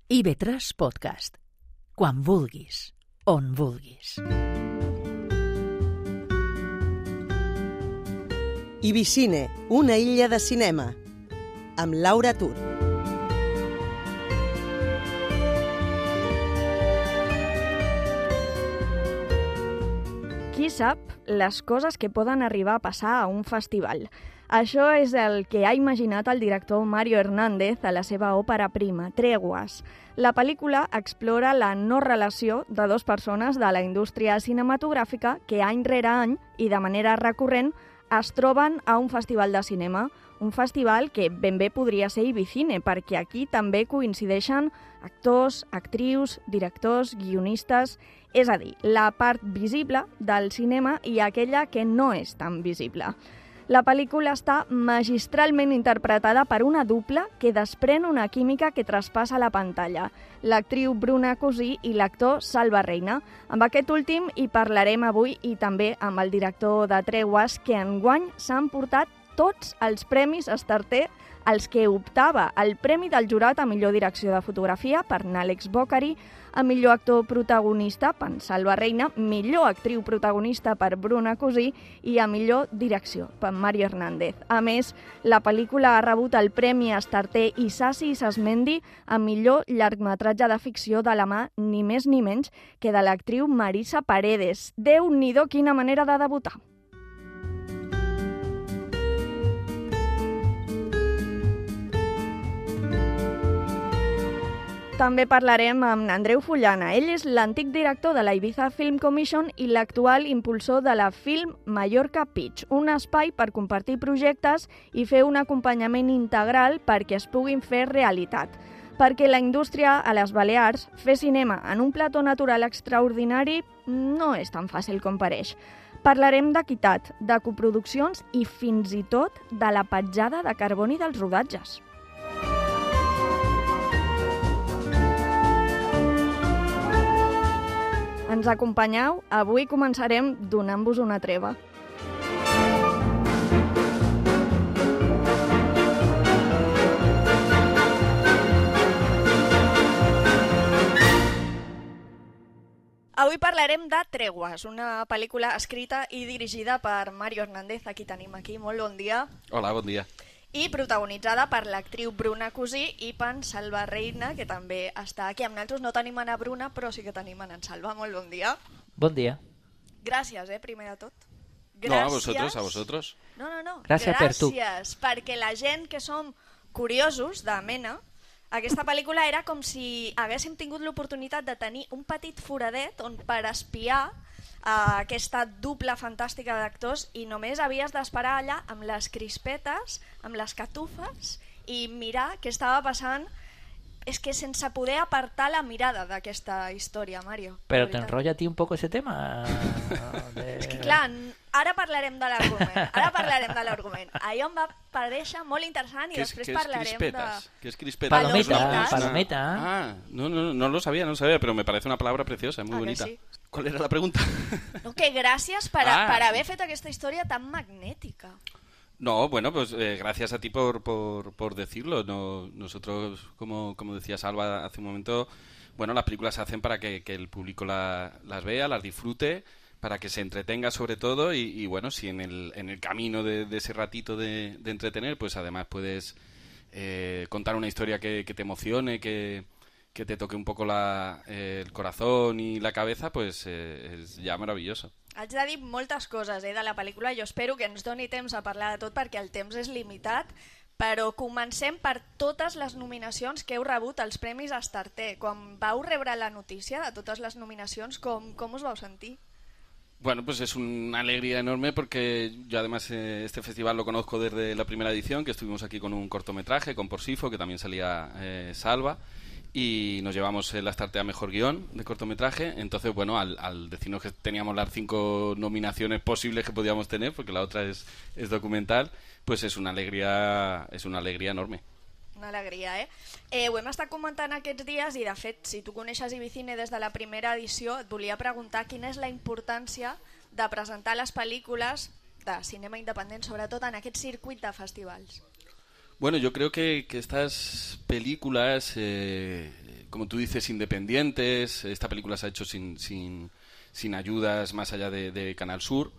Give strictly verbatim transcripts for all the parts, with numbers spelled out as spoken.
I ve tres Podcast. Quan vulguis, on vulguis. Ibicine, una illa de cinema, amb Laura Tur. Qui sap les coses que poden arribar a passar a un festival? Això és el que ha imaginat el director Mario Hernández a la seva òpera prima, Tréguas. La pel·lícula explora la no relació de dues persones de la indústria cinematogràfica que any rere any i de manera recurrent es troben a un festival de cinema, un festival que ben bé podria ser Ibicine, perquè aquí també coincideixen actors, actrius, directors, guionistes, és a dir, la part visible del cinema i aquella que no és tan visible. La pel·lícula està magistralment interpretada per una dupla que desprèn una química que traspassa la pantalla, l'actriu Bruna Cosí i l'actor Salva Reina. Amb aquest últim hi parlarem avui i també amb el director de Tréguas, que enguany s'han portat tots els premis Estarter als que optava el Premi del Jurat a millor direcció de fotografia per Àlex Bocari, a millor actor protagonista per Salva Reina, millor actriu protagonista per Bruna Cosí i a millor direcció per Mario Hernández. A més, la pel·lícula ha rebut el Premi Estarter Isasi Isasmendi a millor llargmetratge de ficció de la mà ni més ni menys que de l'actriu Marisa Paredes. Déu-n'hi-do, quina manera de debutar! També parlarem amb Andreu Fullana. Ell és l'antic director de la Ibiza Film Commission i l'actual impulsor de la Film Mallorca Pitch, un espai per compartir projectes i fer un acompanyament integral perquè es puguin fer realitat. Perquè la indústria a les Balears, fer cinema en un plató natural extraordinari no és tan fàcil com pareix. Parlarem d'equitat, de coproduccions i fins i tot de la petjada de carboni dels rodatges. Ens acompanyeu? Avui començarem donant-vos una treva. Avui parlarem de Tréguas, una pel·lícula escrita i dirigida per Mario Hernández, a qui tenim aquí. Molt bon dia. Hola, bon dia. I protagonitzada per l'actriu Bruna Cosí i per Salva Reina, que també està aquí. Amb nosaltres no tenim en Bruna, però sí que tenim en Salva. Molt bon dia. Bon dia. Gràcies, eh, primer de tot. Gràcies. No, a vosotros, a vosotros. No, no, no. Gràcies, Gràcies per tu. Gràcies, perquè la gent que som curiosos de mena, aquesta pel·lícula era com si haguéssim tingut l'oportunitat de tenir un petit foradet on per espiar Uh, aquesta dupla fantàstica d'actors i només havies d'esperar allà amb les crispetes, amb les catufes i mirar què estava passant. És que sense poder apartar la mirada d'aquesta història, Mario. Però t'enrotlla a ti un poco ese tema? De... És que clar, ara parlarem de l'argument. Ara parlarem de l'argument. Allò em va parèixer molt interessant i després parlarem de... ¿Qué es crispetas? Palometa, palometa. Ah, no, no, no lo sabía, no lo sabía, pero me parece una palabra preciosa, muy bonita. Sí? ¿Cuál era la pregunta? No, que gràcies per, ah. per haver fet aquesta història tan magnètica. No, bueno, pues eh, gracias a ti por, por, por decirlo. No, nosotros, como, como decía Salva hace un momento, bueno, las películas se hacen para que, que el público la, las vea, las disfrute, para que se entretenga sobre todo y, y bueno, si en el, en el camino de, de ese ratito de, de entretener, pues además puedes eh, contar una historia que, que te emocione, que, que te toque un poco la, eh, el corazón y la cabeza, pues eh, es ya maravilloso. Haig de dir moltes coses eh, de la pel·lícula. Jo espero que ens doni temps a parlar de tot perquè el temps és limitat, però comencem per totes les nominacions que heu rebut als Premis Estarter. Quan vau rebre la notícia de totes les nominacions, com, com us vau sentir? Bueno, pues es una alegría enorme porque yo además eh, este festival lo conozco desde la primera edición, que estuvimos aquí con un cortometraje, con Porsifo, que también salía eh, Salva, y nos llevamos el Estarter a Mejor Guión de cortometraje. Entonces, bueno, al, al decirnos que teníamos las cinco nominaciones posibles que podíamos tener, porque la otra es, es documental, pues es una alegría, es una alegría enorme. Una alegria, eh? eh? Ho hem estat comentant aquests dies i, de fet, si tu coneixes Ibicine des de la primera edició, et volia preguntar quina és la importància de presentar les pel·lícules de cinema independent, sobretot en aquest circuit de festivals. Bueno, yo creo que, que estas películas, eh, como tú dices, independientes, esta película se ha hecho sin, sin, sin ayudas más allá de, de Canal Sur,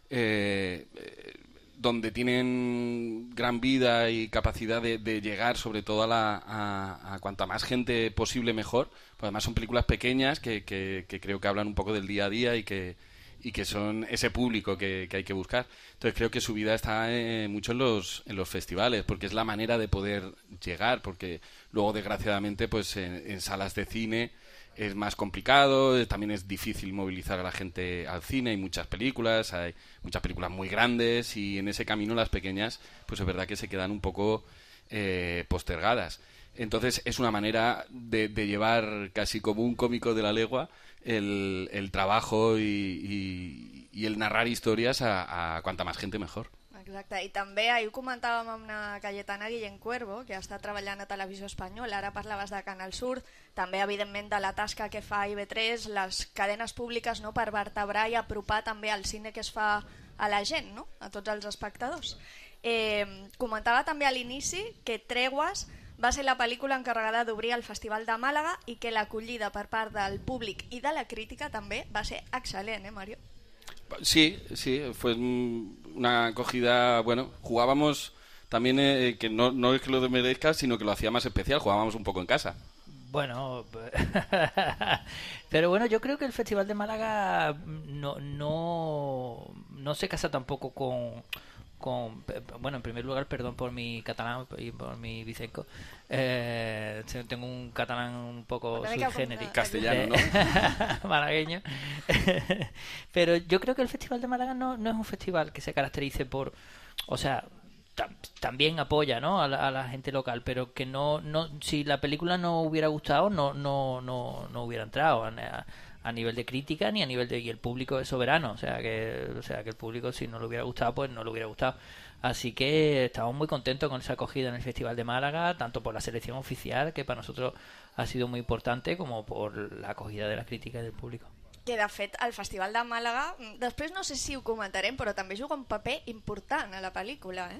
eh, eh, donde tienen gran vida y capacidad de, de llegar sobre todo a, la, a, a cuanta más gente posible mejor. Pues además son películas pequeñas que, que, que creo que hablan un poco del día a día y que, y que son ese público que, que hay que buscar. Entonces creo que su vida está eh, mucho en los, en los festivales, porque es la manera de poder llegar, porque luego desgraciadamente pues en, en salas de cine es más complicado, también es difícil movilizar a la gente al cine, hay muchas películas, hay muchas películas muy grandes y en ese camino las pequeñas pues es verdad que se quedan un poco eh, postergadas. Entonces es una manera de, de llevar casi como un cómico de la legua el, el trabajo y, y, i el narrar històries a, a quanta més gent mejor. Exacte, i també ahir ho comentàvem amb una Cayetana Guillén Cuervo, que està treballant a Televisió Espanyola, ara parlaves de Canal Sur, també evidentment de la tasca que fa I V tres, les cadenes públiques, no?, per vertebrar i apropar també el cine que es fa a la gent, no?, a tots els espectadors. Eh, comentava també a l'inici que Tregües va ser la pel·lícula encarregada d'obrir el Festival de Màlaga i que l'acollida per part del públic i de la crítica també va ser excel·lent, eh, Mario? Sí, sí, fue una acogida, bueno, jugábamos también, eh, que no, no es que lo merezca, sino que lo hacía más especial, jugábamos un poco en casa. Bueno, pero bueno, yo creo que el Festival de Málaga no, no, no se casa tampoco con... con bueno, en primer lugar, perdón por mi catalán y por mi vicenco, eh, tengo un catalán un poco sui generis, castellano, ¿no? Malagueño. Pero yo creo que el Festival de Málaga no, no es un festival que se caracterice por, o sea, tam, también apoya, ¿no?, a la, a la gente local, pero que no, no, si la película no hubiera gustado, no, no, no, no hubiera entrado a, a a nivel de crítica ni a nivel de... y el público es soberano, o sea que o sea que el público, si no le hubiera gustado, pues no le hubiera gustado. Así que estamos muy contentos con esa acogida en el Festival de Málaga, tanto por la selección oficial, que para nosotros ha sido muy importante, como por la acogida de la crítica y del público. Que de fet el Festival de Màlaga, després no sé si ho comentarem, però també juga un paper important a la pel·lícula, eh?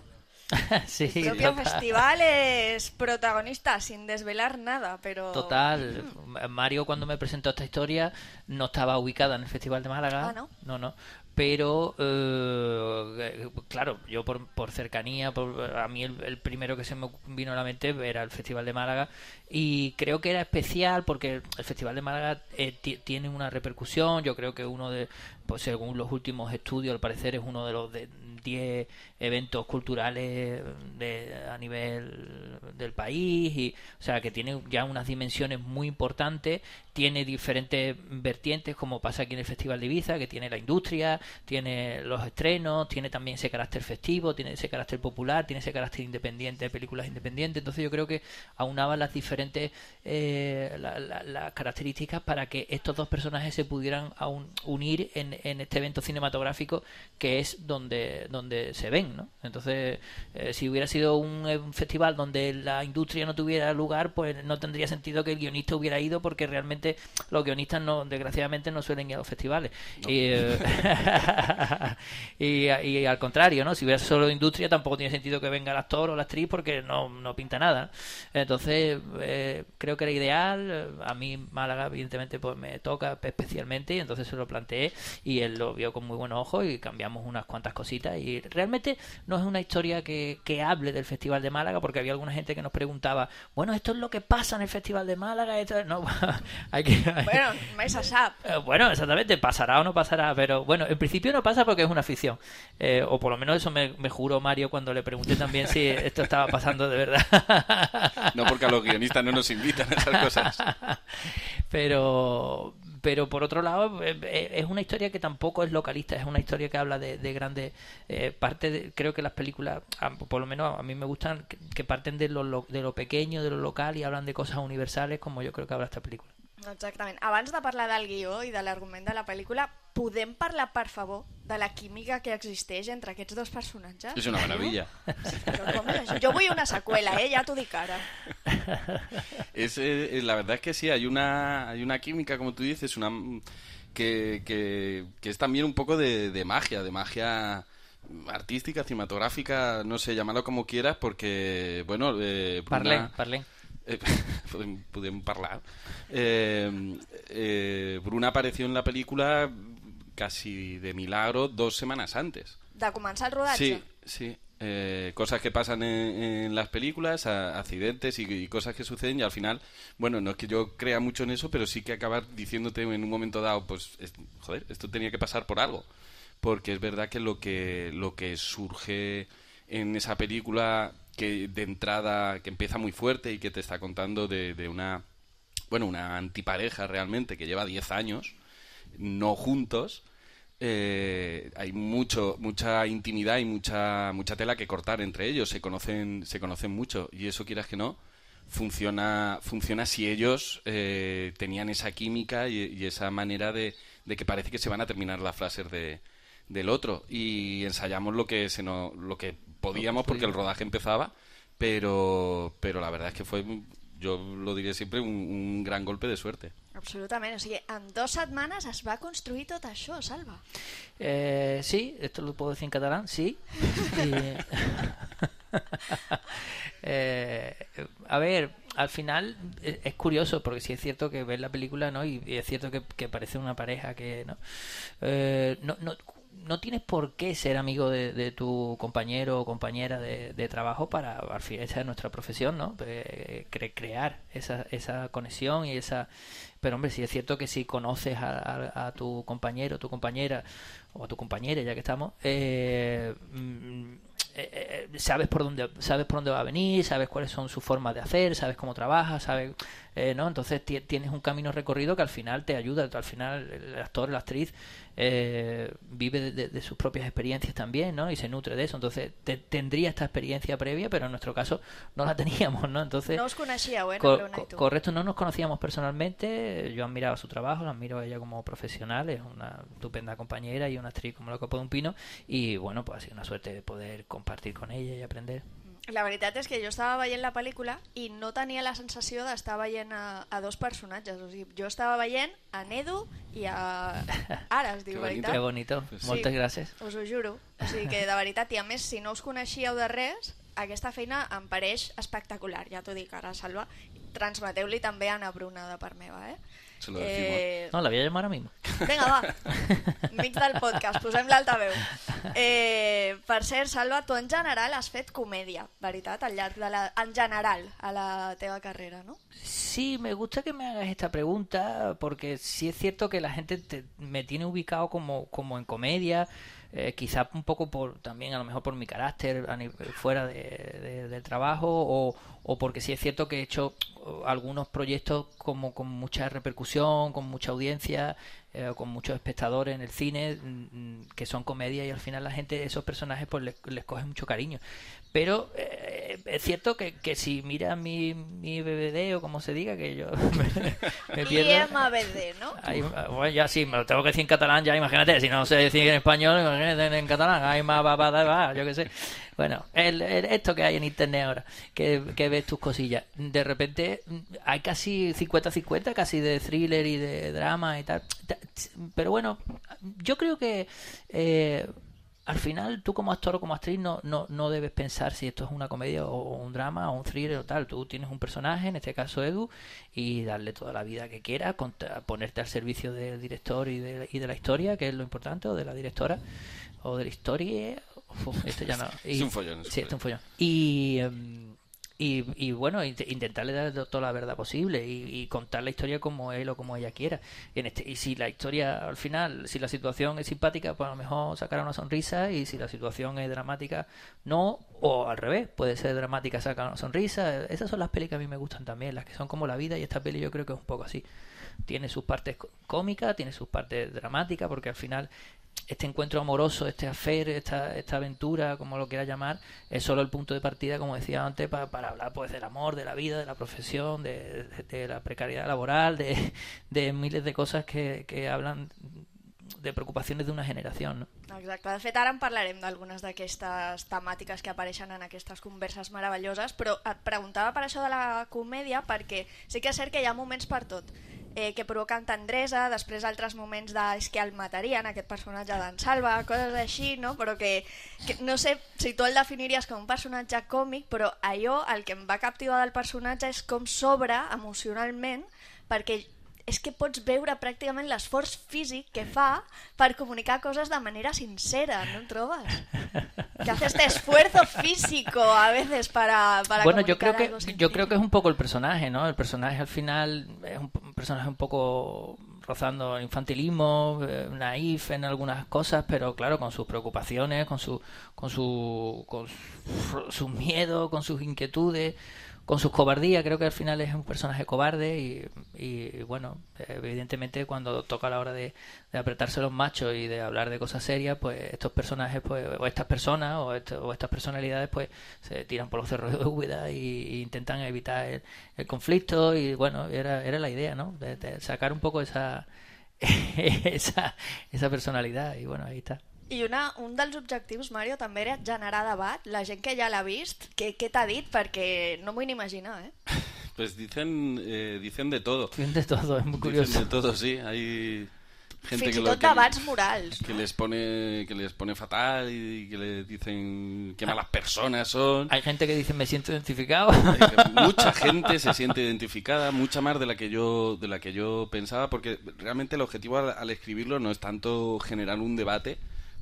Sí, el propio total. festival es protagonista sin desvelar nada, pero... Total. Mario, cuando me presentó esta historia, no estaba ubicada en el Festival de Málaga. Ah, ¿no? No, no. Pero, eh, claro, yo por, por cercanía, por, a mí el, el primero que se me vino a la mente era el Festival de Málaga, y creo que era especial porque el Festival de Málaga eh, t- tiene una repercusión. Yo creo que uno de, pues según los últimos estudios, al parecer es uno de los de diez eventos culturales de, a nivel del país, y o sea que tiene ya unas dimensiones muy importantes, tiene diferentes vertientes, como pasa aquí en el Festival de Ibiza, que tiene la industria, tiene los estrenos, tiene también ese carácter festivo, tiene ese carácter popular, tiene ese carácter independiente de películas independientes. Entonces yo creo que aunaba las diferentes eh, la, la, las características para que estos dos personajes se pudieran aún unir en, en este evento cinematográfico, que es donde donde se ven, ¿no? Entonces, eh, si hubiera sido un, un festival donde la industria no tuviera lugar, pues no tendría sentido que el guionista hubiera ido, porque realmente los guionistas, no, desgraciadamente, no suelen ir a los festivales. No. Y, eh, y, y al contrario, ¿no? Si hubiera solo industria, tampoco tiene sentido que venga el actor o la actriz, porque no, no pinta nada. Entonces, eh, creo que era ideal. A mí Málaga, evidentemente, pues me toca especialmente, y entonces se lo planteé y él lo vio con muy buenos ojos y cambiamos unas cuantas cositas. Y realmente no es una historia que, que hable del Festival de Málaga, porque había alguna gente que nos preguntaba, bueno, esto es lo que pasa en el Festival de Málaga. Esto... No, hay que, hay... Bueno, mai se sap. Bueno, exactamente, pasará o no pasará, pero bueno, en principio no pasa porque es una ficción. Eh, o por lo menos eso me, me juró Mario cuando le pregunté también si esto estaba pasando de verdad. No, porque a los guionistas no nos invitan a esas cosas. Pero... pero por otro lado es una historia que tampoco es localista, es una historia que habla de, de grandes eh, partes de, creo que las películas, por lo menos a mí me gustan, que, que parten de lo, de lo pequeño, de lo local, y hablan de cosas universales, como yo creo que habla esta película. Exactament. Abans de parlar del guió i de l'argument de la pel·lícula, podem parlar, per favor, de la química que existeix entre aquests dos personatges? És una meravella. Però com és això? Jo vull una seqüela, eh? Ja t'ho dic ara. Es, eh, la verdad es que sí, hay una, hay una química, como tú dices, una que, que, que es también un poco de, de magia, de magia artística, cinematográfica, no sé, llámalo como quieras, porque, bueno... Eh, parlem, una... parlem. Eh, podem, podem parlar. Eh, eh, Bruna apareció en la película casi de milagro dos semanas antes. De començar el rodatge? Sí, sí. Eh, cosas que pasan en, en las películas, a, accidentes y, y cosas que suceden y al final, bueno, no es que yo crea mucho en eso, pero sí que acabar diciéndote en un momento dado, pues, es, joder, esto tenía que pasar por algo. Porque es verdad que lo que lo que surge en esa película, que de entrada, que empieza muy fuerte y que te está contando de, de una, bueno, una antipareja realmente que lleva diez años no juntos. Eh, hay mucho mucha intimidad y mucha mucha tela que cortar entre ellos, se conocen se conocen mucho y eso, quieras que no, funciona funciona si ellos eh, tenían esa química y, y esa manera de, de que parece que se van a terminar las frases de, del otro, y ensayamos lo que se nos, lo que podíamos porque el rodaje empezaba, pero pero la verdad es que fue, yo lo diré siempre, un, un gran golpe de suerte. Absolutament, o sigui, en dos setmanes es va construir tot això, Salva. Eh, sí, esto lo puedo decir en catalán, sí. Y... eh, a ver, al final es, es curioso, porque sí es cierto que ves la película, ¿no? Y, y es cierto que, que parece una pareja que, ¿no? Eh, no, no no tienes por qué ser amigo de, de tu compañero o compañera de, de trabajo para, al fin, esa es nuestra profesión, ¿no? Eh, cre- crear esa, esa conexión y esa... Pero hombre, sí es cierto que si conoces a, a, a tu compañero, tu compañera o a tu compañera, ya que estamos, eh, eh, eh, sabes por dónde sabes por dónde va a venir, sabes cuáles son sus formas de hacer, sabes cómo trabaja, sabes, eh, ¿no? Entonces t- tienes un camino recorrido que al final te ayuda, al final el actor, la actriz eh, vive de, de, de sus propias experiencias también, ¿no? Y se nutre de eso, entonces te, tendría esta experiencia previa, pero en nuestro caso no la teníamos, ¿no? Entonces no os coneixíeu, eh? co- Bruna co- i tu. correcto, no nos conocíamos personalmente, yo admiraba su trabajo, la admiro a ella como profesional, es una estupenda compañera y una actriz como la copa de un pino, y bueno, pues ha sido una suerte poder compartir con ella y aprender. La veritat és que jo estava veient la pel·lícula i no tenia la sensació d'estar veient a, a dos personatges. O sigui, jo estava veient a Nedu i a Ara, es diu, Que veritat? Qué bonito, Pues sí. moltes gràcies. Us ho juro. O sigui que, de veritat, i a més, si no us coneixíeu de res, aquesta feina em pareix espectacular. Ja t'ho dic ara, Salva. Transmeteu-li també a Ana Bruna de part meva, eh? Se lo decimos. Eh... No, la voy a llamar ahora mismo. Vinga, va. Mig del podcast, posem l'altaveu. Eh, per cert, Salva, tu en general has fet comèdia, veritat? Al llarg de la... En general, a la teva carrera, ¿no? Sí, me gusta que me hagas esta pregunta porque sí es cierto que la gente te- me tiene ubicado como, como en comedia, eh, quizá un poco por también a lo mejor por mi carácter a nivel- fuera de- de- del trabajo o, o porque sí es cierto que he hecho uh, algunos proyectos como con mucha repercusión, con mucha audiencia, eh, con muchos espectadores en el cine, mm, que son comedia y al final la gente, esos personajes pues les, les coge mucho cariño. Pero eh, es cierto que, que si miras mi, mi B B D o como se diga, que yo me, me pierdo. I M B D, ¿no? Ahí, bueno, ya sí, me lo tengo que decir en catalán, ya imagínate, si no sé decir en español, imagínate en, en catalán, hay más va, va, va, yo qué sé. Bueno, el, el- esto que hay en internet ahora, que, que ves tus cosillas, de repente mm, hay casi cincuenta cincuenta, casi de thriller y de drama y tal. Ta- Pero bueno, yo creo que eh, al final tú como actor o como actriz no, no, no debes pensar si esto es una comedia o un drama o un thriller o tal. Tú tienes un personaje, en este caso Edu, y darle toda la vida que quieras, contra- ponerte al servicio del director y de, y de la historia, que es lo importante, o de la directora, o de la historia. Uf, esto ya no. Es un follón, es un Sí, esto es un follón. Y, em, y, y bueno, int- intentarle dar toda la verdad posible y, y contar la historia como él o como ella quiera. Y, en este, y si la historia, al final, si la situación es simpática, pues a lo mejor sacará una sonrisa, y si la situación es dramática, no, o al revés, puede ser dramática, sacar una sonrisa. Esas son las pelis que a mí me gustan también, las que son como la vida, y esta peli yo creo que es un poco así. Tiene sus partes có- cómicas, tiene sus partes dramáticas, porque al final este encuentro amoroso, este affair, esta, esta aventura, como lo quieras llamar, es solo el punto de partida, como decía antes, pa- para hablar pues del amor, de la vida, de la profesión, de, de- de la precariedad laboral, de, de miles de cosas que, que hablan de preocupaciones de una generación, ¿no? Exacte, de fet ara en parlarem d'algunes d'aquestes temàtiques que apareixen en aquestes converses meravelloses, però et preguntava per això de la comèdia perquè sí que és cert que hi ha moments per tot. eh, que provoquen tendresa, després altres moments de és que el matarien, aquest personatge d'en Salva, coses així, no? Però que, que no sé si tu el definiries com un personatge còmic, però allò, el que em va captivar del personatge és com s'obre emocionalment, perquè és que pots veure pràcticament l'esforç físic que fa per comunicar coses de manera sincera, ¿no en trobes? Que hace este esfuerzo físico a veces para, para bueno, comunicar yo creo que algo sencillo. yo creo que es un poco el personaje, ¿no? El personaje al final es un, un personaje un poco rozando el infantilismo, eh, naif en algunas cosas, pero claro, con sus preocupaciones, con su con su con su, sus miedos, con sus inquietudes, con sus cobardías. Creo que al final es un personaje cobarde y, y bueno, evidentemente cuando toca la hora de, de apretarse los machos y de hablar de cosas serias, pues estos personajes, pues o estas personas o, esto, o estas personalidades, pues se tiran por los cerros de Úbeda y, y intentan evitar el, el conflicto y bueno, era era la idea, ¿no? De, de sacar un poco esa esa esa personalidad y bueno, ahí está. I una, un dels objectius, Mario, també era generar debat. La gent que ja l'ha vist, què, què t'ha dit? Perquè no m'ho vull ni imaginar, ¿eh? Pues dicen, eh, dicen de todo. Dicen de todo, es muy curioso. Dicen de todo, sí. Hay gente Fins que i lo, tot que, debats morals. que no? les pone que les pone fatal y que les dicen qué malas personas son. Hay gente que dice me siento identificado. Mucha gente se siente identificada, mucha más de la que yo de la que yo pensaba, porque realmente el objetivo al, al escribirlo no es tanto generar un debate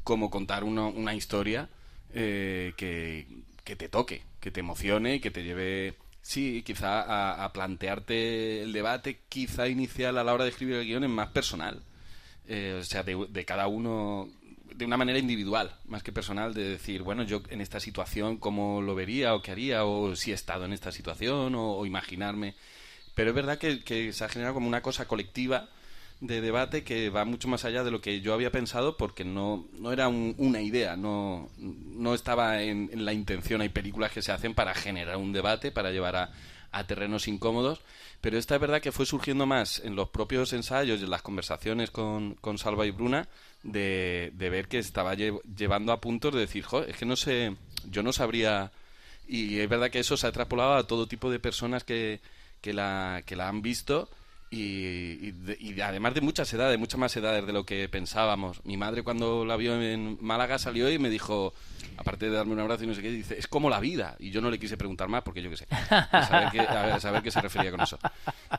como contar una, una historia eh, que, que te toque, que te emocione y que te lleve, sí, quizá a, a plantearte el debate quizá inicial a la hora de escribir el guión es más personal, eh, o sea, de, de cada uno, de una manera individual, más que personal, de decir, bueno, yo en esta situación cómo lo vería o qué haría, o si he estado en esta situación, o, o imaginarme. Pero es verdad que, que se ha generado como una cosa colectiva de debate que va mucho más allá de lo que yo había pensado, porque no, no era un, una idea, no, no estaba en, en la intención. Hay películas que se hacen para generar un debate, para llevar a, a terrenos incómodos, pero esta es verdad que fue surgiendo más en los propios ensayos y en las conversaciones con, con Salva y Bruna, de, de ver que estaba lle- llevando a puntos de decir, jo, es que no sé, yo no sabría, y es verdad que eso se ha extrapolado a todo tipo de personas que, que, la, que la han visto. Y, y, de, y además de muchas edades, muchas más edades de lo que pensábamos. Mi madre cuando la vio en Málaga salió y me dijo, aparte de darme un abrazo y no sé qué, dice, es como la vida. Y yo no le quise preguntar más porque yo qué sé, a saber qué, a saber qué se refería con eso.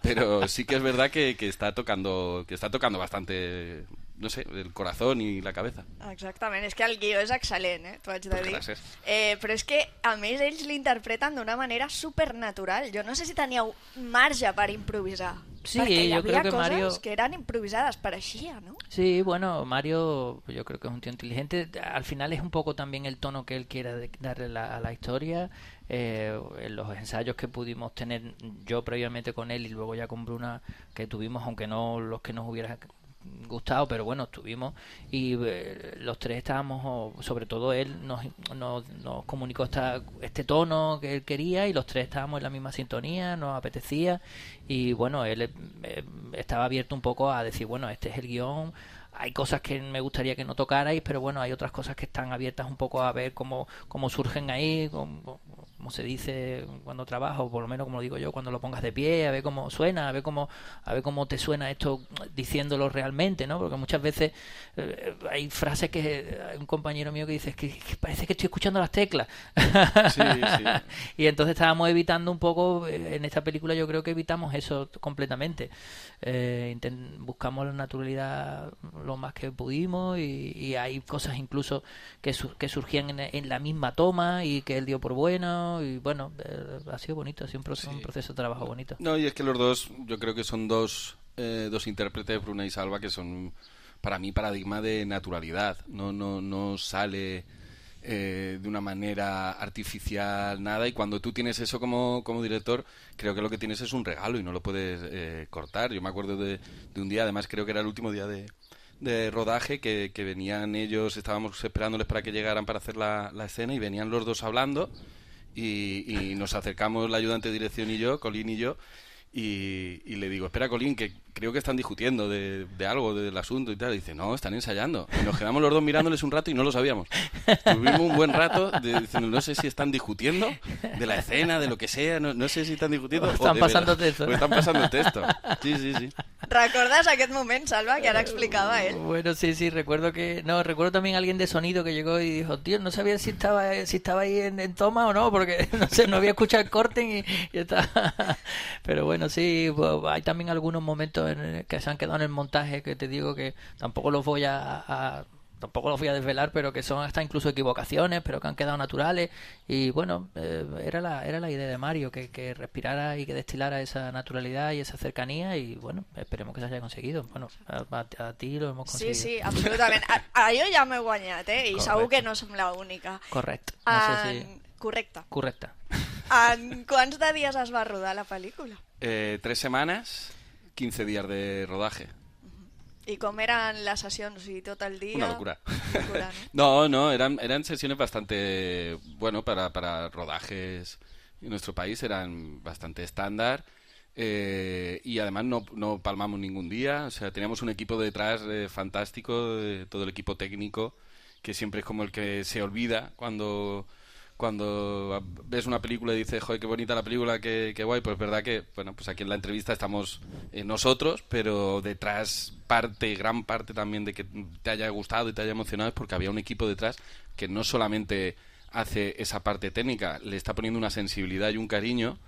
Pero sí que es verdad que, que está tocando que está tocando bastante, no sé, el corazón i la cabeza. Exactament, és que el guió és excel·lent, eh? T'ho haig de Pues dir. gràcies. Eh, però és que, a més, ells l'interpreten d'una manera supernatural. Jo no sé si teníeu marge per improvisar. Sí, perquè hi yo havia creo que coses Mario- que eren improvisades, pareixia, ¿no? Sí, bueno, Mario, yo creo que es un tío inteligente. Al final es un poco también el tono que él quiera de- darle la- a la historia. Eh, en los ensayos que pudimos tener yo previamente con él y luego ya con Bruna, que tuvimos, aunque no los que nos hubiera gustado, pero bueno, estuvimos y eh, los tres estábamos, o sobre todo él nos, nos, nos comunicó esta, este tono que él quería y los tres estábamos en la misma sintonía, nos apetecía y bueno, él eh, eh, estaba abierto un poco a decir, bueno, este es el guión, hay cosas que me gustaría que no tocarais, pero bueno, hay otras cosas que están abiertas un poco a ver cómo, cómo surgen ahí, cómo, como se dice cuando trabajo, por lo menos como lo digo yo, cuando lo pongas de pie, a ver cómo suena, a ver cómo a ver cómo te suena esto diciéndolo realmente, ¿no? Porque muchas veces eh, hay frases que hay un compañero mío que dice que, que parece que estoy escuchando las teclas. Sí, sí. Y entonces estábamos evitando un poco, eh, en esta película yo creo que evitamos eso completamente. Eh, intent- buscamos la naturalidad lo más que pudimos y, y hay cosas incluso que, su- que surgían en, en la misma toma y que él dio por bueno y bueno, eh, ha sido bonito, ha sido un proceso, Sí. un proceso de trabajo bonito. No, y es que los dos, yo creo que son dos, eh, dos intérpretes, Bruna y Salva, que son para mí paradigma de naturalidad. No, no, no sale eh, de una manera artificial nada, y cuando tú tienes eso como, como director, creo que lo que tienes es un regalo y no lo puedes eh, cortar. Yo me acuerdo de, de un día, además creo que era el último día de, de rodaje, que, que venían ellos, estábamos esperándoles para que llegaran para hacer la, la escena, y venían los dos hablando. Y, y nos acercamos la ayudante de dirección y yo, Colín y yo, y, y le digo, espera, Colín, que creo que están discutiendo de, de algo, del asunto y tal. Y dice, no, están ensayando. Y nos quedamos los dos mirándoles un rato y no lo sabíamos. Tuvimos un buen rato de, diciendo, no sé si están discutiendo de la escena, de lo que sea, no, no sé si están discutiendo. O están de pasando verdad, texto. o están pasando texto. Sí, sí, sí. ¿Recuerdas aquest moment, Salva, que ahora explicaba él? Bueno, sí, sí, recuerdo que... No, recuerdo también a alguien de sonido que llegó y dijo, tío, no sabía si estaba si estaba ahí en, en toma o no, porque no sé, no había escuchado el corte y, y estaba... Pero bueno, sí, pues, hay también algunos momentos en el que se han quedado en el montaje que te digo que tampoco los voy a... a tampoco los voy a desvelar, pero que son hasta incluso equivocaciones, pero que han quedado naturales. Y bueno, eh, era la era la idea de Mario, que, que respirara y que destilara esa naturalidad y esa cercanía, y bueno, esperemos que se haya conseguido. Bueno, a, a, a ti lo hemos conseguido. Sí, sí, absolutament. A, a jo ja m'he guanyat, eh? I Correcte. segur que no som l'única. Correcte. No sé si... En... Correcte. Correcte. En quants de dies es va rodar la pel·lícula? Eh, tres semanas, quince días de rodaje. ¿Y cómo eran las sesiones? ¿Y todo el día? Una locura. locura ¿no? no, no, eran, eran sesiones bastante, bueno, para, para rodajes en nuestro país eran bastante estándar, eh, y además no, no palmamos ningún día. O sea, teníamos un equipo detrás eh, fantástico, eh, todo el equipo técnico, que siempre es como el que se olvida cuando... Cuando ves una película y dices, joder, qué bonita la película, qué, qué guay, pues es verdad que, bueno, pues aquí en la entrevista estamos eh, nosotros, pero detrás parte, gran parte también de que te haya gustado y te haya emocionado es porque había un equipo detrás que no solamente hace esa parte técnica, le está poniendo una sensibilidad y un cariño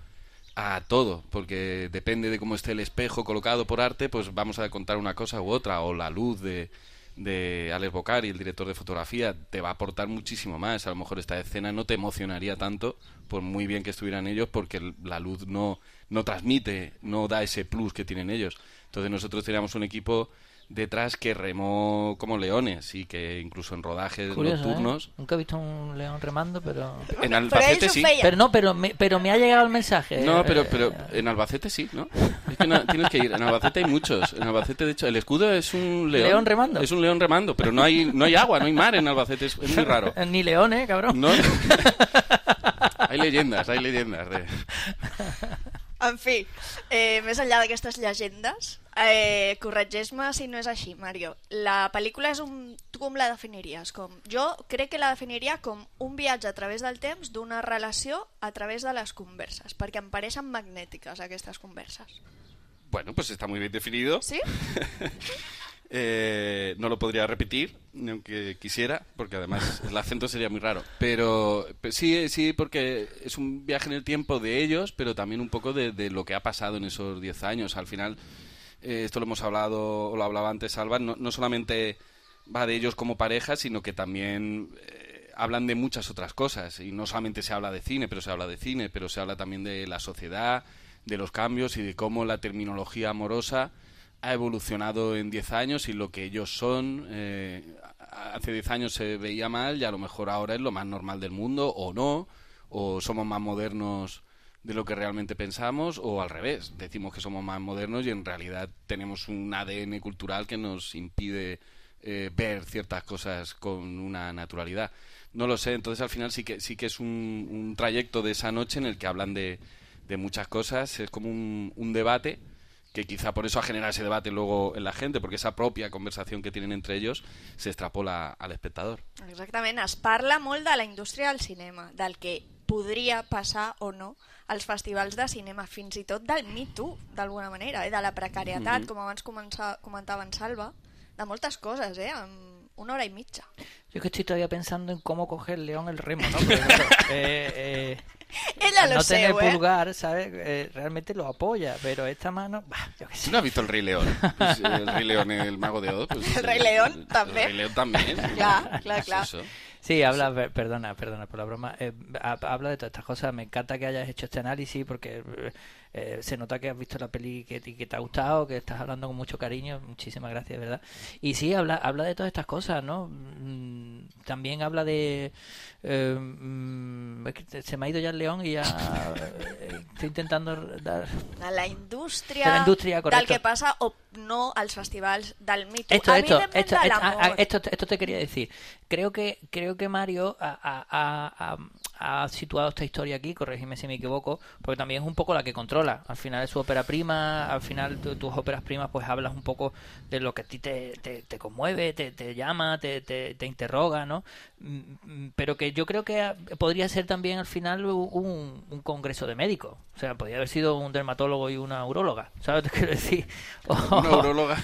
a todo, porque depende de cómo esté el espejo colocado por arte, pues vamos a contar una cosa u otra, o la luz de... de Alex Bocari, el director de fotografía, te va a aportar muchísimo más. A lo mejor esta escena no te emocionaría tanto, por muy bien que estuvieran ellos, porque la luz no, no transmite, no da ese plus que tienen ellos. Entonces nosotros teníamos un equipo detrás que remó como leones, y que incluso en rodajes Curioso, nocturnos... ¿eh? Nunca he visto un león remando, pero... En Albacete sí. Pero no, pero me, pero me ha llegado el mensaje. No, pero, pero en Albacete sí, ¿no? Es que no, tienes que ir. En Albacete hay muchos. En Albacete, de hecho, el escudo es un león. ¿León remando? Es un león remando, pero no hay no hay agua, no hay mar en Albacete. Es, es muy raro. Ni león, ¿eh, cabrón? No. Hay leyendas, hay leyendas de... En fi, eh, més enllà d'aquestes llegendes, eh, corregeix-me si no és així, Mario. La pel·lícula és un... Tu com la definiries? Com... Jo crec que la definiria com un viatge a través del temps d'una relació a través de les converses, perquè em pareixen magnètiques aquestes converses. Bueno, pues está muy bien definido. ¿Sí? Eh, no lo podría repetir, ni aunque quisiera, porque además el acento sería muy raro. Pero, pero sí, sí, porque es un viaje en el tiempo de ellos, pero también un poco de, de lo que ha pasado en esos diez años. Al final, eh, esto lo hemos hablado, o lo hablaba antes Alba, no, no solamente va de ellos como pareja, sino que también eh, hablan de muchas otras cosas. Y no solamente se habla de cine, pero se habla de cine, pero se habla también de la sociedad, de los cambios y de cómo la terminología amorosa ha evolucionado en diez años y lo que ellos son. Eh, hace diez años se veía mal y a lo mejor ahora es lo más normal del mundo, o no, o somos más modernos de lo que realmente pensamos, o al revés, decimos que somos más modernos y en realidad tenemos un A D N cultural que nos impide eh, ver ciertas cosas con una naturalidad. No lo sé, entonces al final sí que sí que es un, un trayecto de esa noche en el que hablan de, de muchas cosas, es como un, un debate, que quizá por eso ha generado ese debate luego en la gente, porque esa propia conversación que tienen entre ellos se extrapola al espectador. Exactament, es parla molt de la indústria del cinema, del que podria passar o no als festivals de cinema, fins i tot del Me Too, d'alguna manera, eh? De la precarietat, mm-hmm. com abans comença, comentava en Salva, de moltes coses, eh? En una hora y mitja. Yo que estoy todavía pensando en cómo coger león el remo, ¿no? Porque, claro, eh, eh, Ella al lo no sé, tener ¿eh? pulgar, ¿sabes? Eh, realmente lo apoya, pero esta mano... Bah, yo qué sé. ¿No has visto el Rey León? Pues, el Rey León, el Mago de Oz. Pues, el Rey León també. El Rey León también. Clar, clar, clar. Eso. Sí, habla, sí. perdona, perdona por la broma, eh, habla de todas estas cosas. Me encanta que hayas hecho este análisis porque eh, se nota que has visto la peli que, que te ha gustado, que estás hablando con mucho cariño. Muchísimas gracias, de verdad. Y sí, habla, habla de todas estas cosas, ¿no? También habla de... Eh, es que se me ha ido ya el león y ya eh, estoy intentando dar... De la indústria, de la indústria del que passa o no als festivals del Me Too. Esto, esto, Evidentment esto, de esto, l'amor. esto, esto te quería decir. Creo que creo que Mario ha, ha, ha, ha situado esta historia aquí, corregidme si me equivoco, porque también es un poco la que controla. Al final es su ópera prima, al final tu, tus óperas primas pues hablas un poco de lo que a ti te, te, te conmueve, te, te llama, te, te, te interroga, ¿no? Pero que yo creo que podría ser también al final un, un congreso de médicos. O sea, podría haber sido un dermatólogo y una uróloga, ¿sabes lo que quiero decir? O, una uróloga,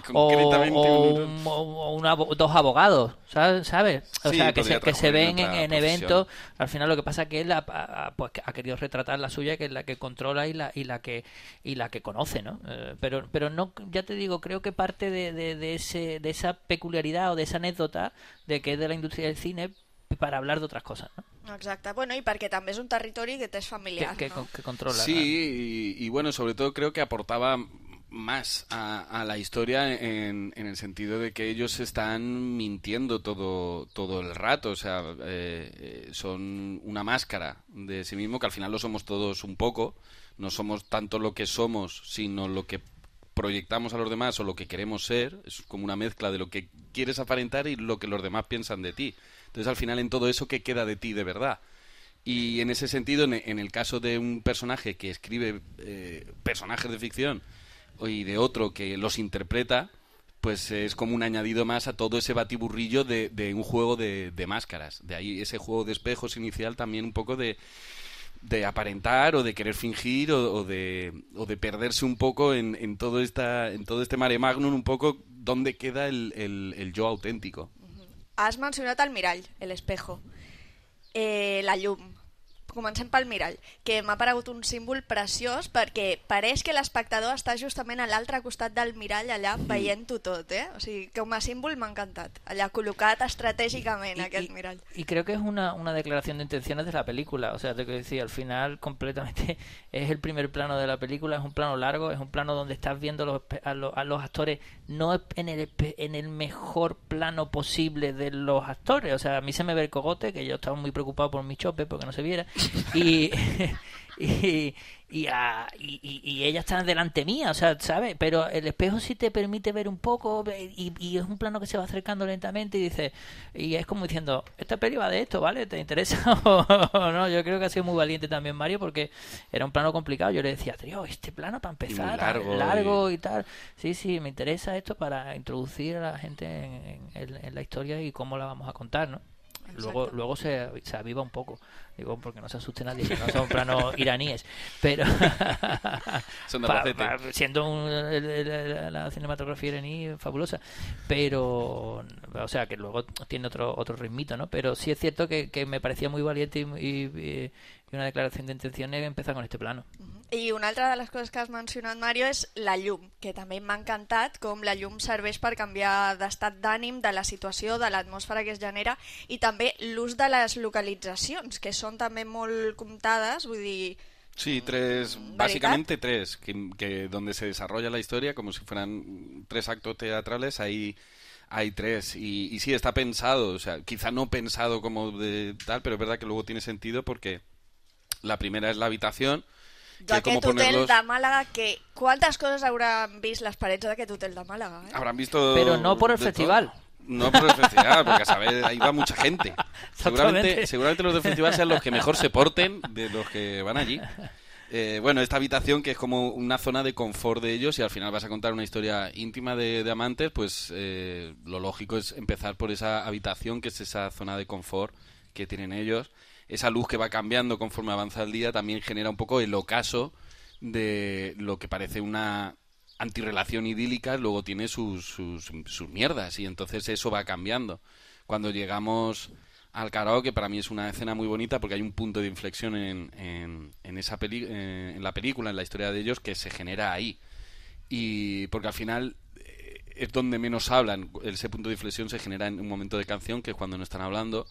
concretamente o, un, o una, dos abogados, ¿sabes? ¿sabes? O sí, sea, que se, que se ven en, en eventos. Al final lo que pasa es que él ha, ha, pues, ha querido retratar la suya, que es la que controla y la y la que y la que conoce, ¿no? Eh, pero pero no, ya te digo, creo que parte de, de, de ese de esa peculiaridad o de esa anécdota de que es de la industria del cine para hablar de otras cosas, ¿no? Exacte, bueno, i perquè també és un territori que t'és familiar, que, que, ¿no? Que controla. Sí, y, y bueno, sobre todo creo que aportaba más a, a la historia en, en el sentido de que ellos están mintiendo todo, todo el rato, o sea, eh, son una máscara de sí mismo, que al final lo somos todos un poco, no somos tanto lo que somos, sino lo que proyectamos a los demás o lo que queremos ser, es como una mezcla de lo que quieres aparentar y lo que los demás piensan de ti. Entonces al final en todo eso, ¿qué queda de ti de verdad? Y en ese sentido, en, en el caso de un personaje que escribe eh, personajes de ficción y de otro que los interpreta, pues es como un añadido más a todo ese batiburrillo de, de un juego de, de máscaras. De ahí ese juego de espejos inicial también un poco de, de aparentar o de querer fingir o, o, de, o de perderse un poco en, en, todo esta, en todo este mare magnum, un poco dónde queda el, el, el yo auténtico. Has mencionat el mirall, l'espejo, eh, la llum. Comencem pel mirall, que m'ha paregut un símbol preciós perquè pareix que l'espectador està justament a l'altre costat del mirall allà veient-ho tot, eh? O sigui, com a símbol m'ha encantat, allà col·locat estratègicament y, aquest y, mirall. Y creo que es una, una declaración de intenciones de la película, o sea, te quiero decir, al final completamente es el primer plano de la película, es un plano largo, es un plano donde estás viendo los, a, los, a los actores no en el, en el mejor plano posible de los actores, o sea, a mí se me ve el cogote, que yo estaba muy preocupado por mi chope porque no se viera, y y, y, a, y, y ella está delante mía, o sea, ¿sabes? Pero el espejo sí te permite ver un poco y, y es un plano que se va acercando lentamente y dice, y es como diciendo, esta peli va de esto, ¿vale? ¿Te interesa o no? Yo creo que ha sido muy valiente también Mario, porque era un plano complicado. Yo le decía, tío, este plano para empezar, largo, largo y... y tal. Sí, sí, me interesa esto para introducir a la gente en, en, en la historia y cómo la vamos a contar, ¿no? Luego, luego se, se aviva un poco, digo, porque no se asuste nadie, que no son planos iraníes, pero son de pa, pa, siendo un, el, el, la cinematografía iraní fabulosa, pero, o sea, que luego tiene otro otro ritmito, ¿no? Pero sí es cierto que, que me parecía muy valiente y, y, y una declaración de intenciones empezar con este plano. I una altra de les coses que has mencionat, Mario, és la llum, que també m'ha encantat com la llum serveix per canviar d'estat d'ànim, de la situació, de l'atmosfera que es genera, i també l'ús de les localitzacions, que són també molt comptades, vull dir... Sí, tres, básicamente tres, que, que donde se desarrolla la historia, como si fueran tres actos teatrales, ahí hay tres, y, y sí, está pensado, o sea, quizá no pensado como de tal, pero es verdad que luego tiene sentido porque la primera es la habitación, d'aquest hotel de Màlaga, que quantes coses hauran vist les parets d'aquest hotel de Màlaga, eh? Habrán visto... Pero no por el festival. Todo. No por el festival, porque a saber, ahí va mucha gente. Seguramente, seguramente los del festival sean los que mejor se porten de los que van allí. Eh, bueno, esta habitación que es como una zona de confort de ellos y al final vas a contar una historia íntima de, de amantes, pues eh, lo lógico es empezar por esa habitación, que es esa zona de confort que tienen ellos. Esa luz que va cambiando conforme avanza el día también genera un poco el ocaso de lo que parece una antirrelación idílica, luego tiene sus, sus, sus mierdas y entonces eso va cambiando. Cuando llegamos al karaoke, para mí es una escena muy bonita porque hay un punto de inflexión en, en, en, esa peli, eh, en la película, en la historia de ellos, que se genera ahí. Y porque al final eh, es donde menos hablan, ese punto de inflexión se genera en un momento de canción, que es cuando no están hablando.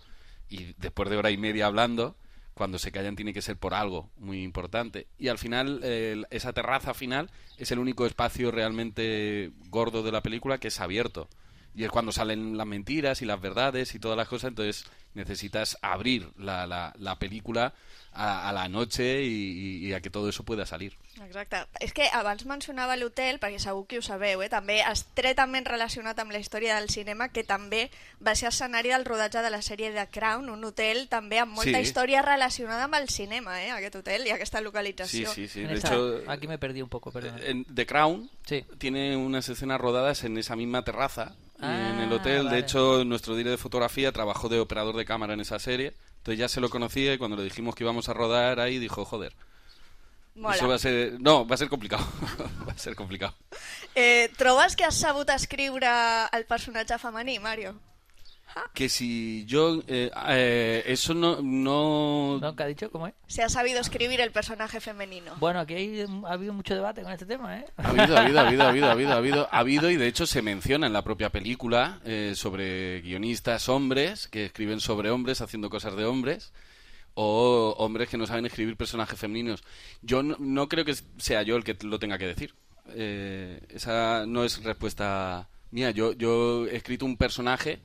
Y después de hora y media hablando, cuando se callan tiene que ser por algo muy importante. Y al final, eh, esa terraza final es el único espacio realmente gordo de la película que es abierto. y es cuando salen las mentiras y las verdades y todas las cosas, entonces necesitas abrir la, la, la película a, a la noche i, i a que todo eso pueda salir. Exacte. És que abans mencionava l'hotel, perquè segur que ho sabeu, eh? També estretament relacionat amb la història del cinema, que també va ser escenari del rodatge de la sèrie The Crown, un hotel també amb molta Sí. història relacionada amb el cinema, eh? Aquest hotel i aquesta Sí, localització. sí, sí. En De esta- hecho, aquí me perdí un poco, perdón. en The Crown Sí. tiene unas escenas rodadas en esa misma terraza, Ah, en el hotel. vale. De hecho, nuestro director de fotografía trabajó de operador de cámara en esa serie. Entonces ya se lo conocía y cuando le dijimos que íbamos a rodar ahí dijo, joder, Mola. eso va a ser... No, va a ser complicado. Va a ser complicado. Eh, trobes que has sabut escriure el personatge femení, Mario? Que si yo... eh, eh, eso no... no... ¿No? ¿Qué ha dicho? ¿Cómo es? Se ha sabido escribir el personaje femenino. Bueno, aquí hay- ha habido mucho debate con este tema, ¿eh? Ha habido, ha habido, ha habido, ha habido, ha habido, ha habido, ha habido y de hecho se menciona en la propia película eh, sobre guionistas hombres que escriben sobre hombres haciendo cosas de hombres o hombres que no saben escribir personajes femeninos. Yo no, no creo que sea yo el que lo tenga que decir. Eh, esa no es respuesta mía. Yo, yo he escrito un personaje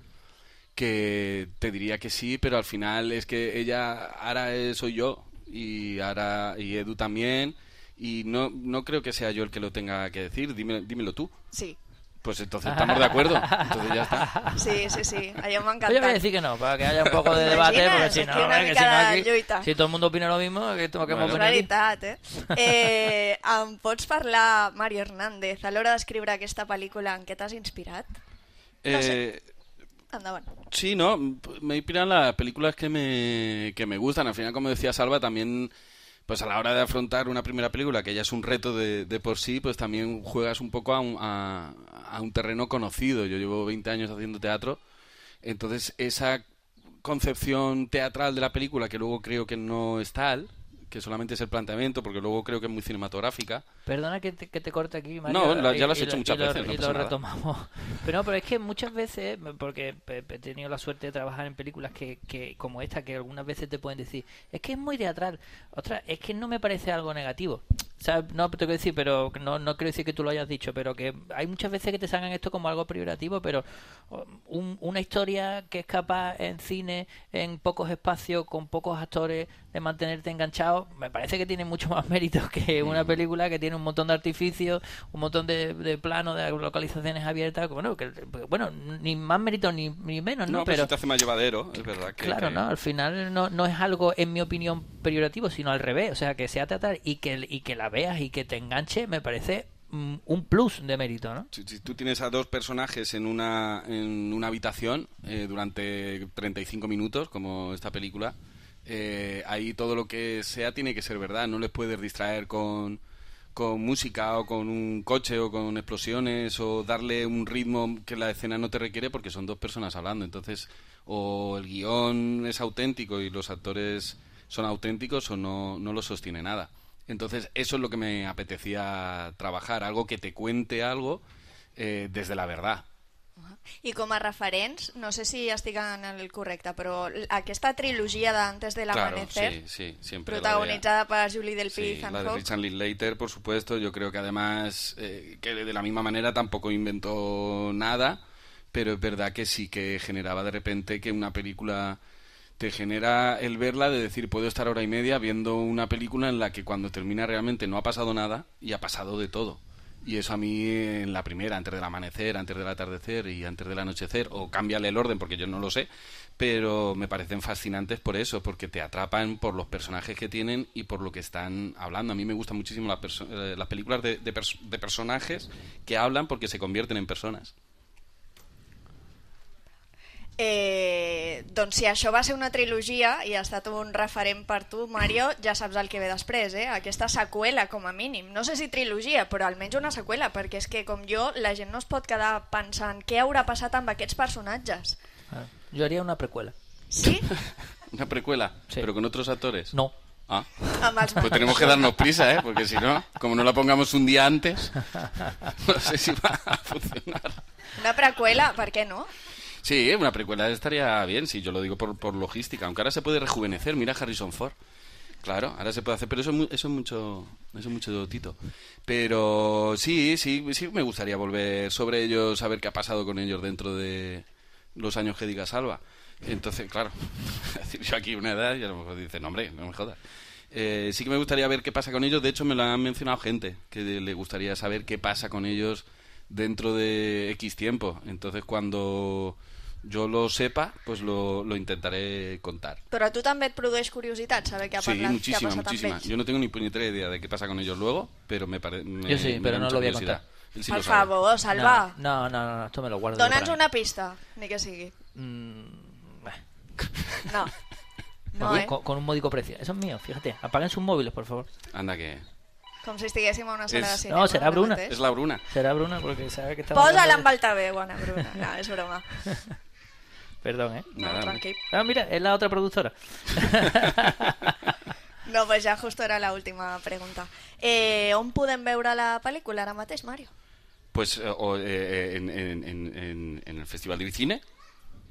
que te diría que sí, pero al final es que ella, ahora eh, soy yo y ahora y Edu también y no, no creo que sea yo el que lo tenga que decir. Dime, dímelo tú. Sí, Pues entonces estamos de acuerdo. Entonces ya está. sí, sí, sí. Allò m'ha Pues yo voy a encantat. decir que no, para que haya un poco de debate, Imagines, porque si aquí no, una eh, que mica si no de aquí, lluita. si todo el mundo opina lo mismo, que, que hemos Bueno. És venido aquí. veritat, eh? eh? Em pots parlar, Mario Hernández, a l'hora d'escriure aquesta pel·lícula en què t'has inspirat? No sé. Eh, Endavant. Sí, no, me inspiran las películas que me, que me gustan. Al final, como decía Salva, también, pues a la hora de afrontar una primera película, que ya es un reto de, de por sí, pues también juegas un poco a un, a, a un terreno conocido. Yo llevo veinte años haciendo teatro, entonces esa concepción teatral de la película, que luego creo que no es tal, que solamente es el planteamiento, porque luego creo que es muy cinematográfica. Perdona que te, que te corte aquí, Mario. No, la- ya y- lo has y hecho muchas y lo- veces, no Y pasa lo nada. retomamos. Pero no, pero es que muchas veces, porque he he tenido la suerte de trabajar en películas que, que como esta, que algunas veces te pueden decir, es que es muy teatral. Otra, es que no me parece algo negativo. ¿Sabes? No te quiero decir, pero no, no quiero decir que tú lo hayas dicho, pero que hay muchas veces que te salgan esto como algo peyorativo, pero un- una historia que es capaz en cine, en pocos espacios, con pocos actores, de mantenerte enganchado, me parece que tiene mucho más mérito que una película que tiene un montón de artificios, un montón de, de planos, de localizaciones abiertas, bueno, que, bueno, ni más mérito ni, ni menos, ¿no? No, pero, sí te hace más llevadero, es verdad. Que, Claro, que- ¿no? Al final no, no es algo, en mi opinión, peyorativo, sino al revés. O sea, que sea teatral y que, y que la veas y que te enganche, me parece mm, un plus de mérito, ¿no? Si, si tú tienes a dos personajes en una, en una habitación eh, durante treinta y cinco minutos, como esta película, eh, ahí todo lo que sea tiene que ser verdad. No les puedes distraer con, con música o con un coche o con explosiones o darle un ritmo que la escena no te requiere porque son dos personas hablando. Entonces, o el guión es auténtico y los actores son auténticos o no, no lo sostiene nada. Entonces, eso es lo que me apetecía trabajar, algo que te cuente algo eh, desde la verdad. I com a referents, no sé si estic en el correcte, però aquesta trilogia d'Antes de Claro, l'Amanecer, sí, sí, siempre. protagonitzada per Julie la de, Delpy y sí, Ethan la de Hawke. Richard Linklater, por supuesto. Yo creo que además, eh, que de la misma manera tampoco inventó nada, pero es verdad que sí que generaba de repente que una película te genera el verla de decir, puedo estar hora y media viendo una película en la que cuando termina realmente no ha pasado nada y ha pasado de todo. Y eso a mí en la primera, antes del amanecer, antes del atardecer y antes del anochecer, o cámbiale el orden porque yo no lo sé, pero me parecen fascinantes por eso, porque te atrapan por los personajes que tienen y por lo que están hablando. A mí me gustan muchísimo las, perso- eh, las películas de, de, pers- de personajes que hablan porque se convierten en personas. Eh, doncs si això va ser una trilogia i ha estat un referent per tu, Mario, ja saps el que ve després, eh? Aquesta seqüela, com a mínim. No sé si trilogia, però almenys una seqüela, perquè és que, com jo, la gent no es pot quedar pensant què haurà passat amb aquests personatges. Ah, Yo haría una precuela. Sí? Una precuela, Sí. pero con otros actores. No. Ah. Amb els Pues tenemos que darnos prisa, ¿eh? Porque si no, como no la pongamos un día antes, no sé si va a funcionar. Una preqüela, per què no? Sí, una precuela estaría bien, sí, yo lo digo por, por logística, aunque ahora se puede rejuvenecer, mira Harrison Ford. Claro, ahora se puede hacer, pero eso es, mu- eso es mucho eso es mucho Tito. Pero sí, sí, sí me gustaría volver sobre ellos, saber qué ha pasado con ellos dentro de los años que diga Salva. Entonces, claro, decir yo aquí una edad y a lo mejor dicen, no, hombre, no me jodas. Eh, sí que me gustaría ver qué pasa con ellos. De hecho, me lo han mencionado gente que le gustaría saber qué pasa con ellos dentro de X tiempo. Entonces, cuando yo lo sepa, pues lo, lo intentaré contar. Però a tu també et produeix curiositat saber què ha, Sí, parlat, què ha muchísima, passat muchísima. amb ells? Yo no tengo ni puñetera idea de qué pasa con ellos luego, pero me parece... Yo sí, pero no lo voy a contar. Él sí Per lo sabe. favor, Salva, No, no, no, no, esto me lo guardo. dona'ns para mí. una pista, ni que sigui. Mm, eh. No. No, con, eh? con- con un módico precio. Eso es mío, fíjate. Apaguen sus móviles, por favor. Anda que... Com si estiguéssim a una sala És- de cinema. No, serà ara Bruna. mateix. Es la Bruna. Será Bruna porque sabe que estamos... Posa-la hablando amb altaveu, bona Bruna. No, és broma. de- Perdón, ¿eh? No, Nada, tranquil. Ah, mira, es la otra productora. No, pues ja justo era l'última pregunta. Eh, on podem veure la pel·lícula ara mateix, Mario? Pues eh, o, eh, en, en, en, en- en el Festival de Bicine.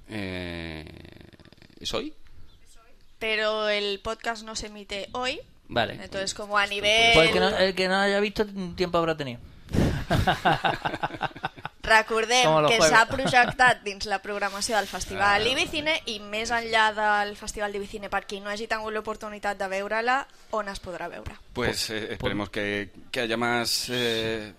Eh, ¿Es hoy? Pero el podcast no se emite hoy. Vale. Entonces, como a nivel... Pues el que, no, el que no haya visto, tiempo habrá tenido. Recordem Com a los que jueves. s'ha projectat dins la programació del Festival Ah. Ibicine i més enllà del Festival d'Ibicine, per qui no hagi tingut l'oportunitat de veure-la, on es podrà veure? Pues eh, esperemos que, que haya más, eh,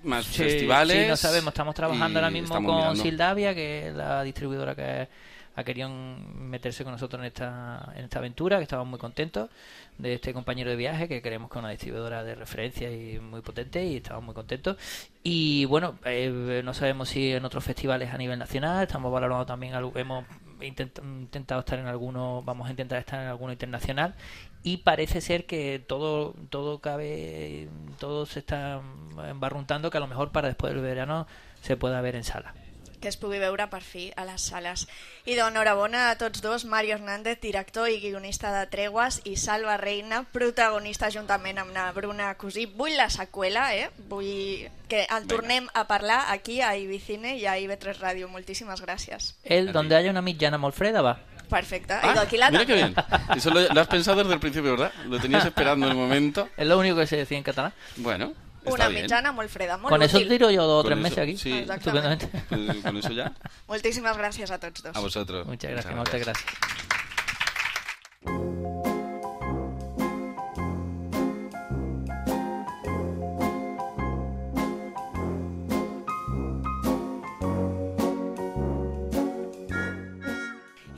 más Sí, festivales. sí, no sabemos. Estamos trabajando y ahora mismo estamos con mirando. Sildavia, que es la distribuidora que ha querido meterse con nosotros en esta, en esta aventura, que estamos muy contentos de este compañero de viaje, que creemos que es una distribuidora de referencia y muy potente, y estamos muy contentos. Y bueno, eh, no sabemos si en otros festivales a nivel nacional, estamos valorando también, algo- hemos intent- intentado estar en alguno, vamos a intentar estar en alguno internacional, y parece ser que todo todo cabe, todo se está embarruntando, que a lo mejor para después del verano se pueda ver en sala. Que es pugui veure per fi a les sales. I d'enhorabona a tots dos, Mario Hernández, director i guionista de Tregües, i Salva Reina, protagonista juntament amb la Bruna Cosí. Vull la seqüela, eh? Vull que en tornem a parlar aquí a Ibicine i a I B tres Ràdio. Moltíssimes gràcies. Él, donde haya una mitjana Molfreda, va. Perfecte. Ah, I d'aquí la mira qué també. bien. Eso lo, lo has pensado desde el principio, ¿verdad? Lo tenías esperando el momento. Es lo único que se decía en catalán. Bueno, está Una bien. mitjana molt freda, molt Con eso útil. tiro yo dos o Con tres eso, meses aquí. sí. Exactamente. Estupendamente. Pues con eso ya. Moltíssimes gràcies a tots dos. A vosotros. Muchas gracias, muchas gracias.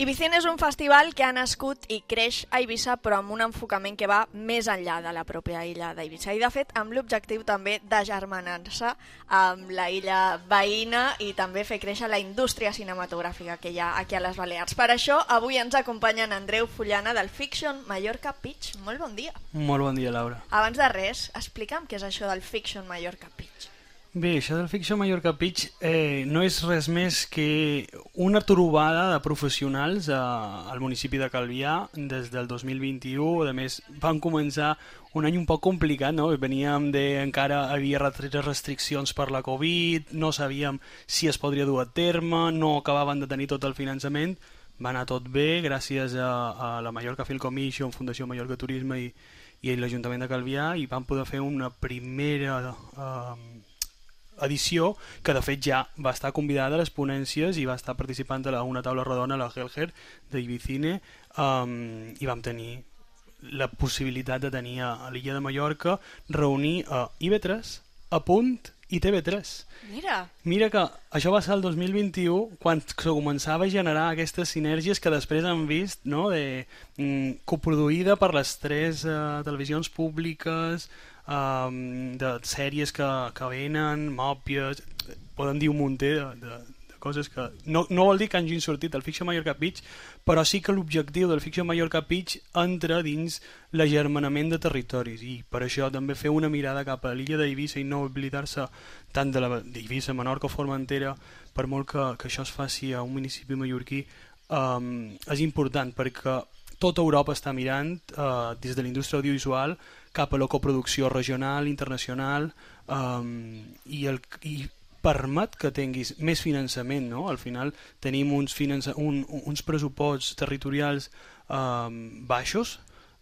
Ibicine és un festival que ha nascut i creix a Eivissa, però amb un enfocament que va més enllà de la pròpia illa d'Eivissa. I, de fet, amb l'objectiu també d'agermanar-se amb la illa veïna i també fer créixer la indústria cinematogràfica que hi ha aquí a les Balears. Per això, avui ens acompanyen Andreu Fullana del Fiction Mallorca Pitch. Molt bon dia. Molt bon dia, Laura. Abans de res, explica'm què és això del Fiction Mallorca Pitch. Bé, això del Fiction Mallorca Pitch eh, no és res més que una trobada de professionals eh, al municipi de Calvià des del dos mil vint-i-u. A més, van començar un any un poc complicat, no? Veníem de... encara havia restriccions per la Covid, no sabíem si es podria dur a terme, no acabaven de tenir tot el finançament. Va anar tot bé gràcies a, a la Mallorca Film Commission, Fundació Mallorca Turisme i, i l'Ajuntament de Calvià, i vam poder fer una primera... Eh, edició que de fet ja va estar convidada a les ponències i va estar participant a una taula rodona a la Helger d'Ibicine, um, i vam tenir la possibilitat de tenir a l'illa de Mallorca reunir a I B tres, a Punt i T V tres. Mira, Mira que això va ser el dos mil vint-i-u quan se començava a generar aquestes sinergies que després han vist, no? de, mm, coproduïda per les tres uh, televisions públiques, um, de sèries que, que venen, mòpies, poden dir un munter de, de, de coses que... No, no vol dir que hagin sortit del Fiction Mallorca Pitch, però sí que l'objectiu del Fiction Mallorca Pitch entra dins l'agermanament de territoris, i per això també fer una mirada cap a l'illa d'Eivissa i no oblidar-se tant de la d'Eivissa, Menorca o Formentera, per molt que, que això es faci a un municipi mallorquí, um, és important perquè tota Europa està mirant uh, des de la indústria audiovisual cap a la coproducció regional, internacional, um, i, el, i permet que tinguis més finançament, no? Al final tenim uns, finança, un, uns pressuposts territorials um, baixos,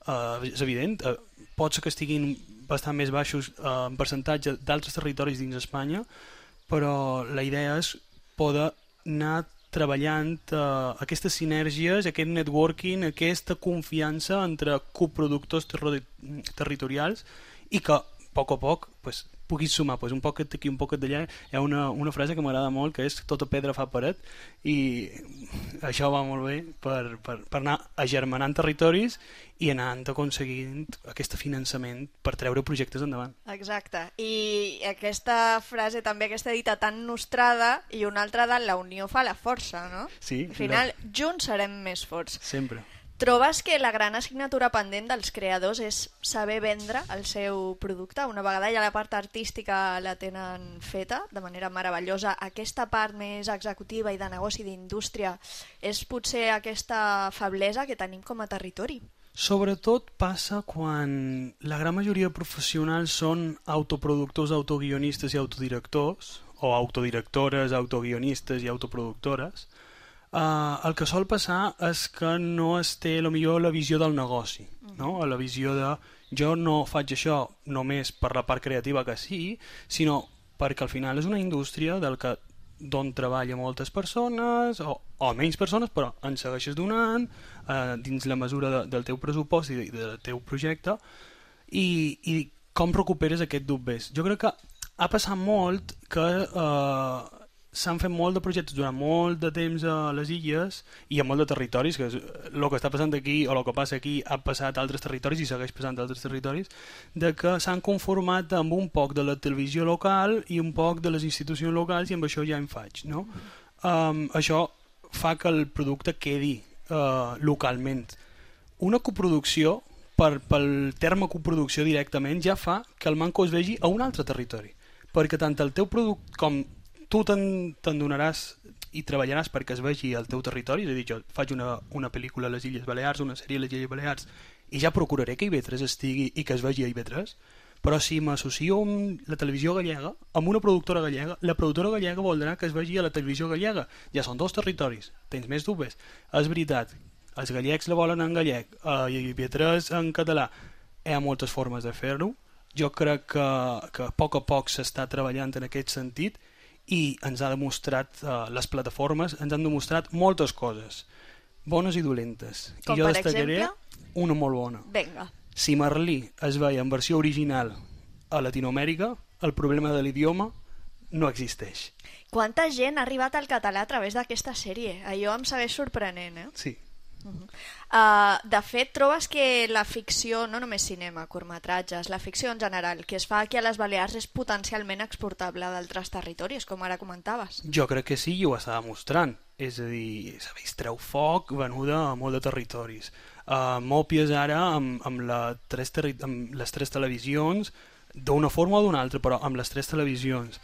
uh, és evident, uh, pot ser que estiguin bastant més baixos uh, en percentatge d'altres territoris dins Espanya, però la idea és poder anar treballant uh, aquestes sinergies, aquest networking, aquesta confiança entre coproductors ter territorials i que a poc a poc pues, puguis sumar pues, un poquet d'aquí, un poquet d'allà. Hi ha una, una frase que m'agrada molt, que és tota pedra fa paret, i això va molt bé per, per, per anar agermanant territoris i anant aconseguint aquest finançament per treure projectes endavant. Exacte, i aquesta frase també, aquesta dita tan nostrada, i una altra de la unió fa la força, no? Sí. Al final, la... junts serem més forts. Sempre. Trobes que la gran assignatura pendent dels creadors és saber vendre el seu producte? Una vegada ja la part artística la tenen feta de manera meravellosa, aquesta part més executiva i de negoci d'indústria és potser aquesta feblesa que tenim com a territori? Sobretot passa quan la gran majoria de professionals són autoproductors, autoguionistes i autodirectors, o autodirectores, autoguionistes i autoproductores. Uh, el que sol passar és que no es té lo millor la visió del negoci, no? La visió de jo no faig això només per la part creativa que sí, sinó perquè al final és una indústria del que d'on treballa moltes persones o, o menys persones, però en segueixes donant uh, dins la mesura de, del teu pressupost i de, del teu projecte, i, i com recuperes aquest dubbers. Jo crec que ha passat molt que uh, s'han fet molt de projectes durant molt de temps a les illes i a molt de territoris, que el que està passant aquí o el que passa aquí ha passat a altres territoris i segueix passant a altres territoris, de que s'han conformat amb un poc de la televisió local i un poc de les institucions locals, i amb això ja em faig, no? Um, això fa que el producte quedi uh, localment. Una coproducció, per, pel terme coproducció directament, ja fa que el manco es vegi a un altre territori, perquè tant el teu producte com tu te'n te donaràs i treballaràs perquè es vegi al teu territori. És a dir, jo faig una, una pel·lícula a les Illes Balears, una sèrie a les Illes Balears, i ja procuraré que I V tres estigui i que es vegi a I V tres, però si m'associo amb la televisió gallega, amb una productora gallega, la productora gallega voldrà que es vegi a la televisió gallega. Ja són dos territoris, tens més dubtes. És veritat, els gallecs la volen en gallec, a I V tres en català. Hi ha moltes formes de fer-ho. Jo crec que, que a poc a poc s'està treballant en aquest sentit, i ens ha demostrat, uh, les plataformes ens han demostrat moltes coses, bones i dolentes. Com I jo per destacaré exemple? Una molt bona. Vinga. Si Merlí es veia en versió original a Latinoamèrica, el problema de l'idioma no existeix. Quanta gent ha arribat al català a través d'aquesta sèrie? Allò em segueix sorprenent, eh? Sí. Uh -huh. uh, de fet, trobes que la ficció, no només cinema, curtmetratges, la ficció en general, que es fa aquí a les Balears és potencialment exportable d'altres territoris, com ara comentaves? Jo crec que sí, i ho està demostrant. És a dir, s'ha vist Treu Foc venuda a molt de territoris. Uh, Mòpies ara amb, amb, la tres amb les tres televisions, d'una forma o d'una altra, però amb les tres televisions.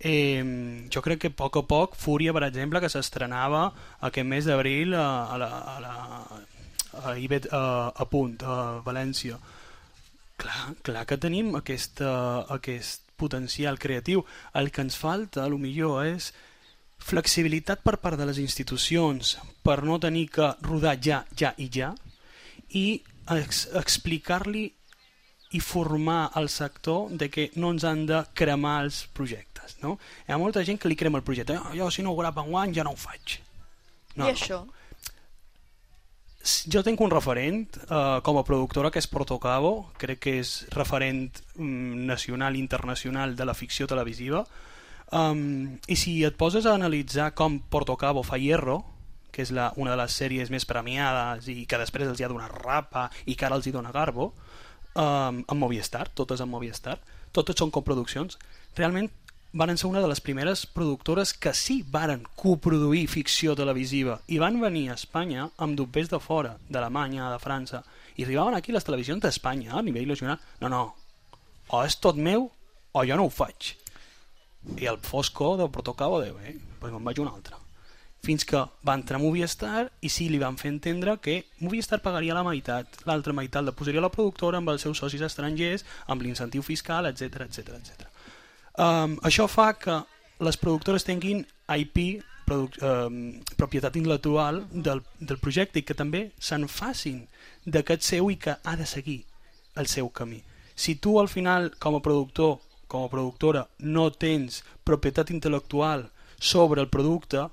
Eh, jo crec que a poc a poc Fúria, per exemple, que s'estrenava aquest mes d'abril a, a, la, a, la, a, Ibet, a, a Punt, a València. Clar, clar que tenim aquesta, aquest potencial creatiu. El que ens falta, a lo millor, és flexibilitat per part de les institucions per no tenir que rodar ja, ja i ja, i ex explicar-li i formar el sector de que no ens han de cremar els projectes, no? Hi ha molta gent que li crema el projecte. Oh, jo si no ho grava enguany ja no ho faig. No, I no. això? Jo tinc un referent eh, com a productora, que és Portocabo. Crec que és referent mm, nacional i internacional de la ficció televisiva. Um, I si et poses a analitzar com Portocabo fa Hierro, que és la, una de les sèries més premiades i que després els hi ha donat Rapa i que ara els hi dona Garbo, Um, amb Movistar, totes amb Movistar, totes són coproduccions. Realment van ser una de les primeres productores que sí varen coproduir ficció televisiva i van venir a Espanya amb dobbers de fora, d'Alemanya, de França, i arribaven aquí les televisions d'Espanya a nivell nacional. No, no, o és tot meu o jo no ho faig. I el Fosco de Portocabo diu, eh, doncs me'n vaig un altre. Fins que va entrar Movistar i sí li van fer entendre que Movistar pagaria la meitat, l'altra meitat la posaria la productora amb els seus socis estrangers, amb l'incentiu fiscal, etcètera, etcètera, etcètera. Um, això fa que les productores tinguin I P, eh, propietat intel·lectual del, del projecte i que també se'n facin d'aquest seu i que ha de seguir el seu camí. Si tu al final com a productor, com a productora no tens propietat intel·lectual sobre el producte,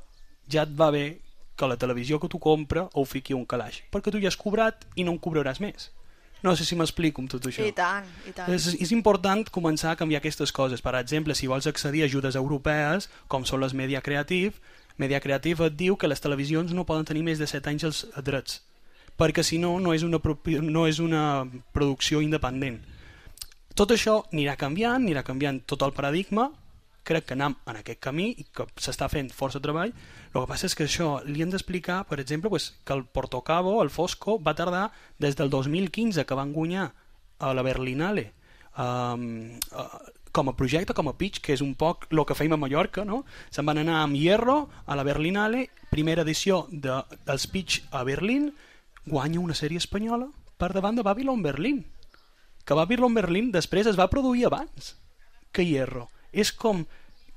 ja et va bé que la televisió que tu compra ho fiqui un calaix, perquè tu ja has cobrat i no en cobraràs més. No sé si m'explico amb tot això. I tant, i tant. És, és important començar a canviar aquestes coses. Per exemple, si vols accedir a ajudes europees, com són les Media Creative, Media Creative et diu que les televisions no poden tenir més de set anys els drets, perquè si no, no és una, no és una producció independent. Tot això anirà canviant, anirà canviant tot el paradigma, crec que anem en aquest camí i que s'està fent força treball. El que passa és que això li hem d'explicar, per exemple, pues, que el Portocabo, el Fosco, va tardar des del dos mil quinze, que van guanyar a la Berlinale um, uh, com a projecte, com a pitch, que és un poc el que feim a Mallorca, no? Se'n van anar amb Hierro a la Berlinale, primera edició de, dels pitch a Berlín, guanya una sèrie espanyola per davant de Babylon Berlin, que Babylon Berlin després es va produir abans que Hierro. És com,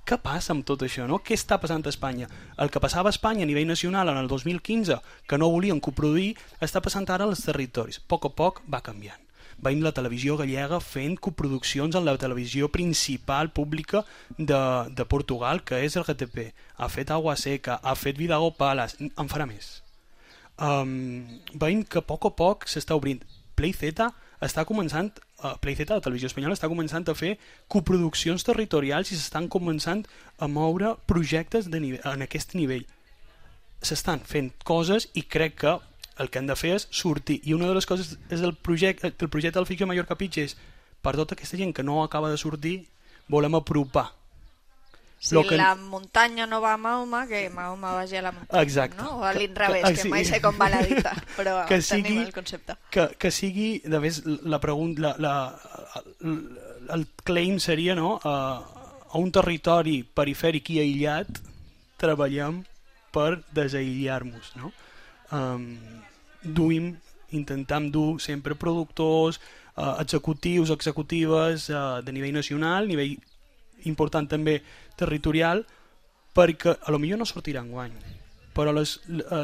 què passa amb tot això, no? Què està passant a Espanya? El que passava a Espanya a nivell nacional en el dos mil quinze, que no volien coproduir, està passant ara als territoris. A poc a poc va canviant. Veiem la televisió gallega fent coproduccions en la televisió principal pública de, de Portugal, que és el G T P. Ha fet Agua Seca, ha fet Vidago Palace, en farà més. Um, veiem que a poc a poc s'està obrint. PlayZ està començant, uh, PlayZ, la televisió espanyola, està començant a fer coproduccions territorials i s'estan començant a moure projectes de nivell, en aquest nivell. S'estan fent coses i crec que el que han de fer és sortir. I una de les coses és el projecte, el projecte del Ficció Mallorca Pitch és, per tota aquesta gent que no acaba de sortir, volem apropar. Si Lo que... la muntanya no va a Mahoma, que Mahoma vagi a la muntanya. Exacte. No? O a l'inrevés, que, que, que, que mai sé com va la dita, però que tenim sigui, el concepte. Que, que sigui, de més, la pregunta, la, la, la, el claim seria, no? Uh, a un territori perifèric i aïllat treballem per desaïllar-nos, no? Um, duim, intentam dur sempre productors, uh, executius, executives uh, de nivell nacional, nivell important també territorial, perquè a lo millor no sortirà enguany, però les,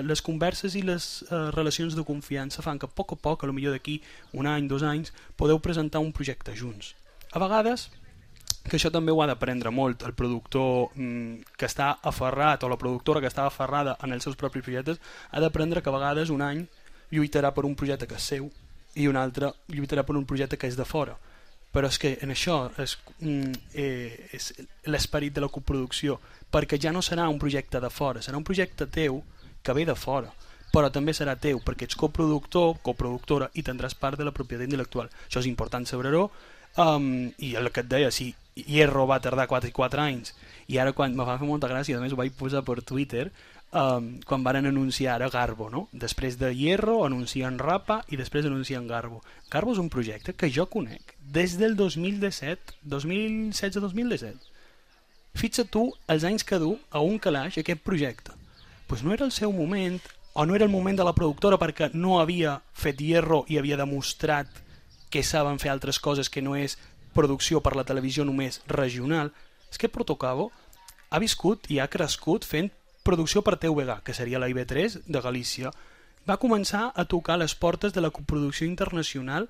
les converses i les uh, relacions de confiança fan que a poc a poc, a lo millor d'aquí un any, dos anys, podeu presentar un projecte junts. A vegades, que això també ho ha d'aprendre molt el productor mm, que està aferrat, o la productora que està aferrada en els seus propis projectes, ha d'aprendre que a vegades un any lluitarà per un projecte que és seu i un altre lluitarà per un projecte que és de fora. Però és que en això és, eh, és l'esperit de la coproducció, perquè ja no serà un projecte de fora, serà un projecte teu que ve de fora, però també serà teu perquè ets coproductor, coproductora i tindràs part de la propietat intel·lectual. Això és important saber-ho, um, i el que et deia, si Hierro va tardar quatre anys i ara quan me va fer molta gràcia, a més ho vaig posar per Twitter, um, quan van anunciar ara Garbo, no? Després de Hierro anuncien Rapa i després anuncien Garbo. Garbo és un projecte que jo conec des del dos mil disset, dos mil setze dos mil disset. Fixa't tu els anys que du a un calaix aquest projecte. Pues no era el seu moment, o no era el moment de la productora perquè no havia fet Hierro i havia demostrat que saben fer altres coses que no és producció per la televisió només regional. És que Portocabo ha viscut i ha crescut fent producció per T V G, que seria la I B tres de Galícia. Va començar a tocar les portes de la coproducció internacional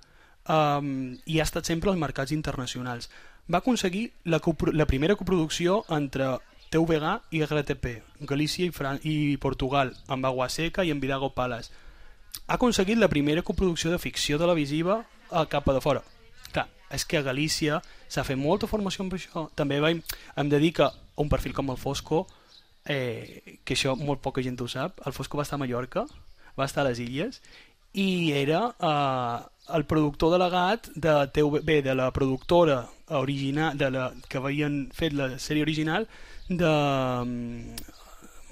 um, i ha estat sempre als mercats internacionals. Va aconseguir la, la primera coproducció entre T V G i R T P, Galícia i, Fran i Portugal, amb Agua Seca i amb Vidago Palace. Ha aconseguit la primera coproducció de ficció televisiva a cap de fora. Clar, és que a Galícia s'ha fet molta formació amb això. També vam, em dedica a un perfil com el Fosco, eh, que això molt poca gent ho sap. El Fosco va estar a Mallorca, va estar a les Illes, i era eh, el productor delegat de T V B, de la productora original, de la, que havien fet la sèrie original de um,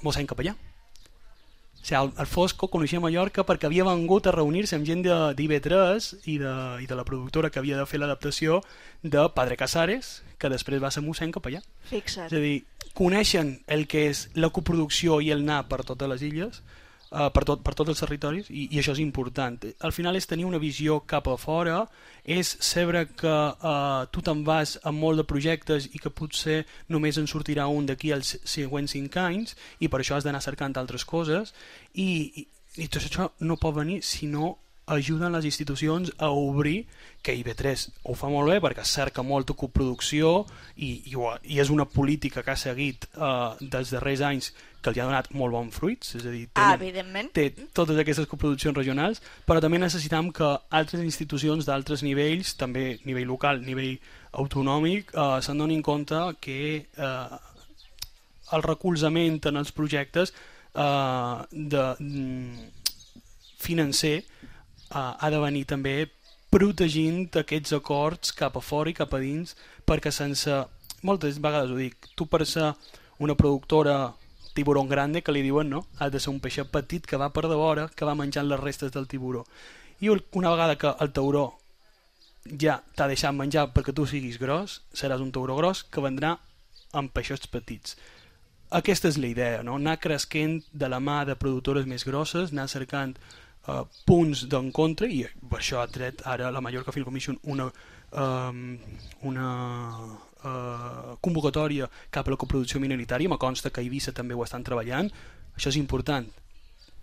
Mossèn Capellà. O sigui, el, el Fosco coneixia Mallorca perquè havia vengut a reunir-se amb gent d'I B tres i de, i de la productora que havia de fer l'adaptació de Padre Casares, que després va ser Mossèn Capellà. Fixa't. És a dir, coneixen el que és la coproducció i el anar per totes les illes. Uh, per, tot, per tots els territoris i, i això és important. Al final és tenir una visió cap a fora, és saber que uh, tu te'n vas amb molt de projectes i que potser només en sortirà un d'aquí als següents cinc anys i per això has d'anar cercant altres coses i, i, i tot això no pot venir si no ajuden les institucions a obrir, que I V tres ho fa molt bé perquè cerca molta coproducció i, i, i és una política que ha seguit uh, dels darrers anys que li ha donat molt bons fruits, és a dir, té, ah, evidentment. té totes aquestes coproduccions regionals, però també necessitam que altres institucions d'altres nivells, també nivell local, nivell autonòmic, uh, se'n donin compte que uh, el recolzament en els projectes uh, de, mm, financer Uh, ha de venir també protegint aquests acords cap a fora i cap a dins, perquè sense, moltes vegades ho dic, tu per ser una productora tiburón grande, que li diuen, no? Has de ser un peixet petit que va per de vora, que va menjant les restes del tiburó. I una vegada que el tauró ja t'ha deixat menjar perquè tu siguis gros, seràs un tauró gros que vendrà amb peixets petits. Aquesta és la idea, no? Anar cresquent de la mà de productores més grosses, anar cercant Uh, punts d'encontre i per això ha tret ara la Mallorca Film Commission una, um, una uh, convocatòria cap a la coproducció minoritària. Me consta que a Eivissa també ho estan treballant. Això és important,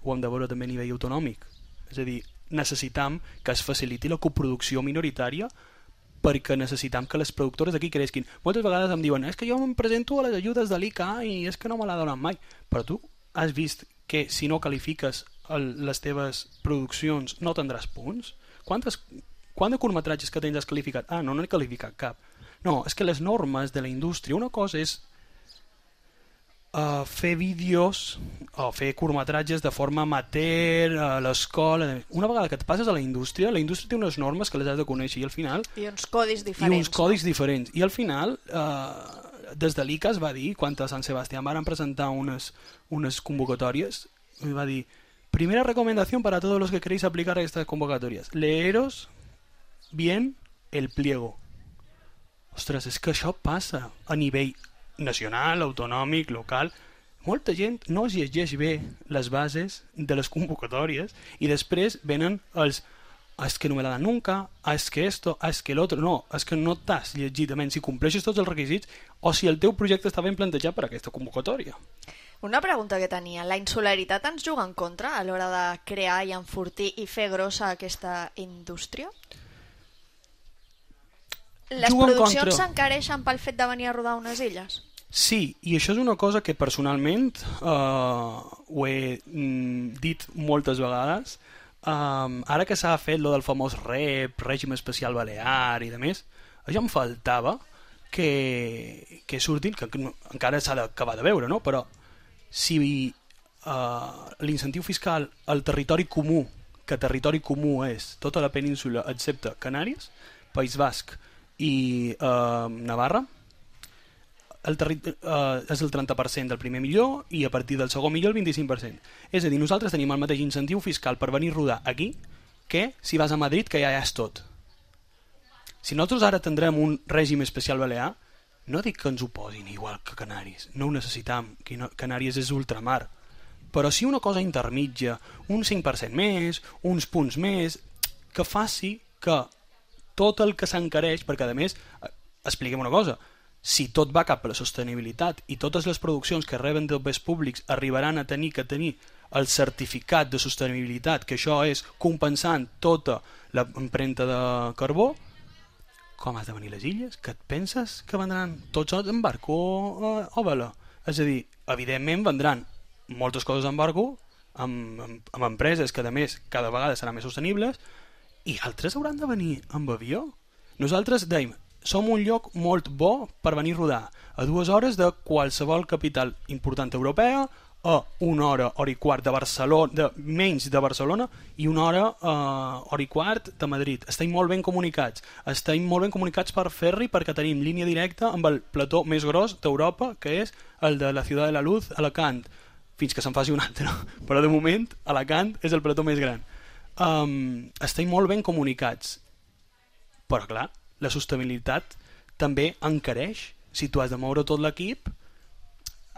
ho hem de veure també a nivell autonòmic, és a dir, necessitam que es faciliti la coproducció minoritària perquè necessitam que les productores d'aquí creixin. Moltes vegades em diuen, és que jo em presento a les ajudes de l'I C A i és que no me l'ha donat mai, però tu has vist que si no qualifiques el, les teves produccions no tindràs punts? Quantes, quant de curtmetratges que tens has qualificat? Ah, no, no he qualificat cap. No, és que les normes de la indústria, una cosa és uh, fer vídeos o fer curtmetratges de forma amateur a l'escola. Una vegada que et passes a la indústria, la indústria té unes normes que les has de conèixer i al final... I uns codis diferents. I uns codis no? diferents. I al final... Uh, des de l'I C A es va dir, quan a Sant Sebastián van presentar unes, unes convocatòries, va dir, primera recomendación para todos los que queréis aplicar estas convocatorias, leeros bien el pliego. Ostres, és que això passa a nivell nacional, autonòmic, local. Molta gent no es llegeix bé les bases de les convocatòries i després venen els es que no me la dan nunca, es que esto, es que l'altre, no, és que no t'has llegit, si compleixes tots els requisits o si el teu projecte està ben plantejat per aquesta convocatòria. Una pregunta que tenia, la insularitat ens juga en contra a l'hora de crear i enfortir i fer grossa aquesta indústria? Les Juga produccions s'encareixen pel fet de venir a rodar unes illes? Sí, i això és una cosa que personalment uh, ho he mm, dit moltes vegades. Um, ara que s'ha fet lo del famós R E P, règim especial balear i de més, això em faltava que, que surtin, que, que no, encara s'ha d'acabar de veure, no? Però si uh, l'incentiu fiscal al territori comú, que territori comú és tota la península excepte Canàries, País Basc i uh, Navarra, el terri uh, és el trenta per cent del primer millor i a partir del segon millor el vint-i-cinc per cent. És a dir, nosaltres tenim el mateix incentiu fiscal per venir a rodar aquí que si vas a Madrid, que ja és tot. Si nosaltres ara tindrem un règim especial balear, no dic que ens ho posin igual que Canàries, no ho necessitam, que Canàries és ultramar, però sí una cosa intermitja, un cinc per cent més, uns punts més, que faci que tot el que s'encareix, perquè a més, expliquem una cosa, si tot va cap a la sostenibilitat i totes les produccions que reben dels béns públics arribaran a tenir que tenir el certificat de sostenibilitat, que això és compensant tota l'empremta de carbó, com has de venir les illes? Que et penses que vendran tots en barco o, o vela? És a dir, evidentment vendran moltes coses en barco, amb, amb, amb empreses que a més cada vegada seran més sostenibles, i altres hauran de venir amb avió. Nosaltres dèiem, som un lloc molt bo per venir a rodar a dues hores de qualsevol capital important europea, a una hora, hora i quart de Barcelona, de, menys de Barcelona, i una hora, uh, hora i quart de Madrid. Estem molt ben comunicats. Estem molt ben comunicats per ferri perquè tenim línia directa amb el plató més gros d'Europa, que és el de la Ciutat de la Luz, Alacant, fins que se'n faci un altre. Però de moment, Alacant és el plató més gran. Um, estem molt ben comunicats. Però clar, la sostenibilitat també encareix. Si tu has de moure tot l'equip,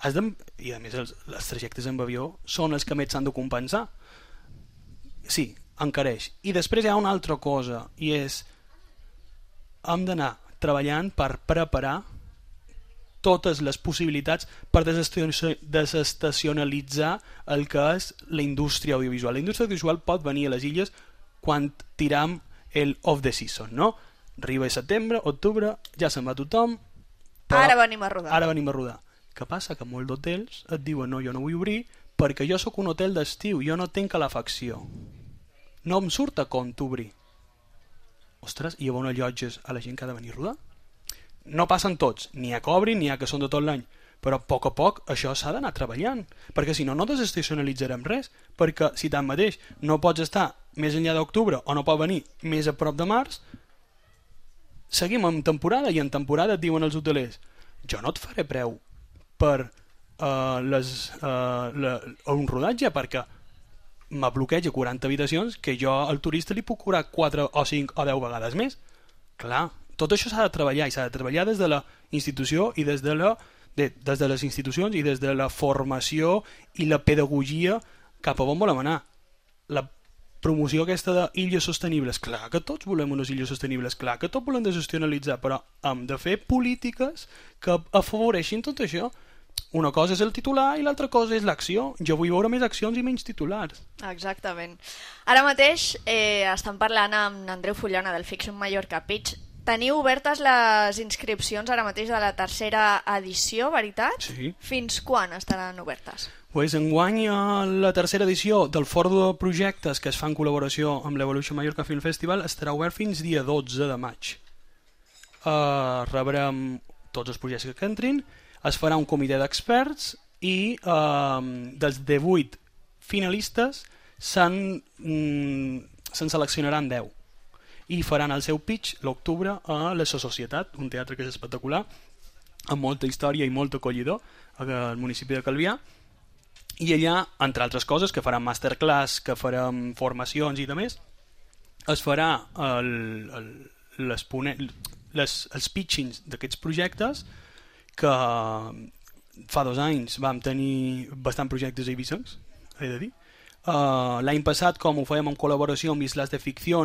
has de... I a més els, els trajectes amb avió són els que més s'han de compensar. Sí, encareix. I després hi ha una altra cosa, i és hem d'anar treballant per preparar totes les possibilitats per desestacionalitzar el que és la indústria audiovisual. La indústria audiovisual pot venir a les illes quan tiram el off the season, no? Arriba a setembre, octubre, ja se'n va tothom. Ara venim a rodar. Ara venim a rodar. Què passa? Que molts d'hotels et diuen no, jo no vull obrir perquè jo sóc un hotel d'estiu, jo no tinc calefacció. No em surt a compte obrir. Ostres, i llavors allotges a la gent que ha de venir a rodar? No passen tots, n'hi ha que obrin, n'hi ha que són de tot l'any, però a poc a poc això s'ha d'anar treballant, perquè si no, no desestacionalitzarem res, perquè si tanmateix no pots estar més enllà d'octubre o no pot venir més a prop de març, seguim en temporada, i en temporada et diuen els hotelers jo no et faré preu per uh, les, uh, la, un rodatge, perquè me bloqueja quaranta habitacions que jo al turista li puc cobrar quatre o cinc o deu vegades més. Clar, tot això s'ha de treballar, i s'ha de treballar des de la institució i des de, la, de, des de les institucions i des de la formació i la pedagogia cap a on volem anar. La promoció aquesta d'illes sostenibles, clar que tots volem unes illes sostenibles, clar que tots volem desestacionalitzar, però hem de fer polítiques que afavoreixin tot això. Una cosa és el titular i l'altra cosa és l'acció. Jo vull veure més accions i menys titulars. Exactament. Ara mateix eh, estan parlant amb Andreu Fullana del Fiction Mallorca Pitch. Teniu obertes les inscripcions ara mateix de la tercera edició, veritat? Sí. Fins quan estaran obertes? Pues enguany la tercera edició del Fòrum de Projectes que es fa en col·laboració amb l'Evolution Mallorca Film Festival estarà obert fins dia dotze de maig. Uh, rebrem tots els projectes que entrin, es farà un comitè d'experts i uh, dels divuit finalistes se'n mm, se'n seleccionaran deu i faran el seu pitch l'octubre a la Societat, un teatre que és espectacular, amb molta història i molt acollidor al municipi de Calvià. I allà, entre altres coses, que faran masterclass, que farem formacions i demés, es farà el, el, les, les, els pitchings d'aquests projectes, que fa dos anys vam tenir bastant projectes eivissencs, he de dir. Uh, L'any passat, com ho fèiem en col·laboració amb Islas de Ficció,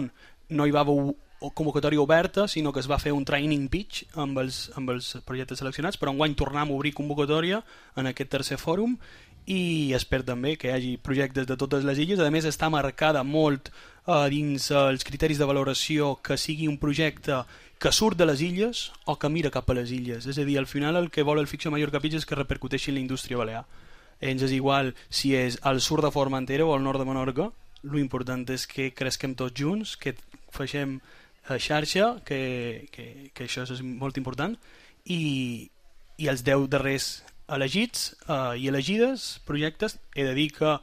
no hi va haver convocatòria oberta, sinó que es va fer un training pitch amb els, amb els projectes seleccionats, però enguany tornem a obrir convocatòria en aquest tercer fòrum, i espero també que hi hagi projectes de totes les illes. A més, està marcada molt uh, dins uh, els criteris de valoració que sigui un projecte que surt de les illes o que mira cap a les illes. És a dir, al final el que vol el Fiction Mallorca Pitch és que repercuteixi en la indústria balear. Ens és igual si és al sud de Formentera o al nord de Menorca, l'important és que cresquem tots junts, que facem xarxa, que, que, que això és molt important, i, i els deu darrers elegits eh, i elegides projectes, he de dir que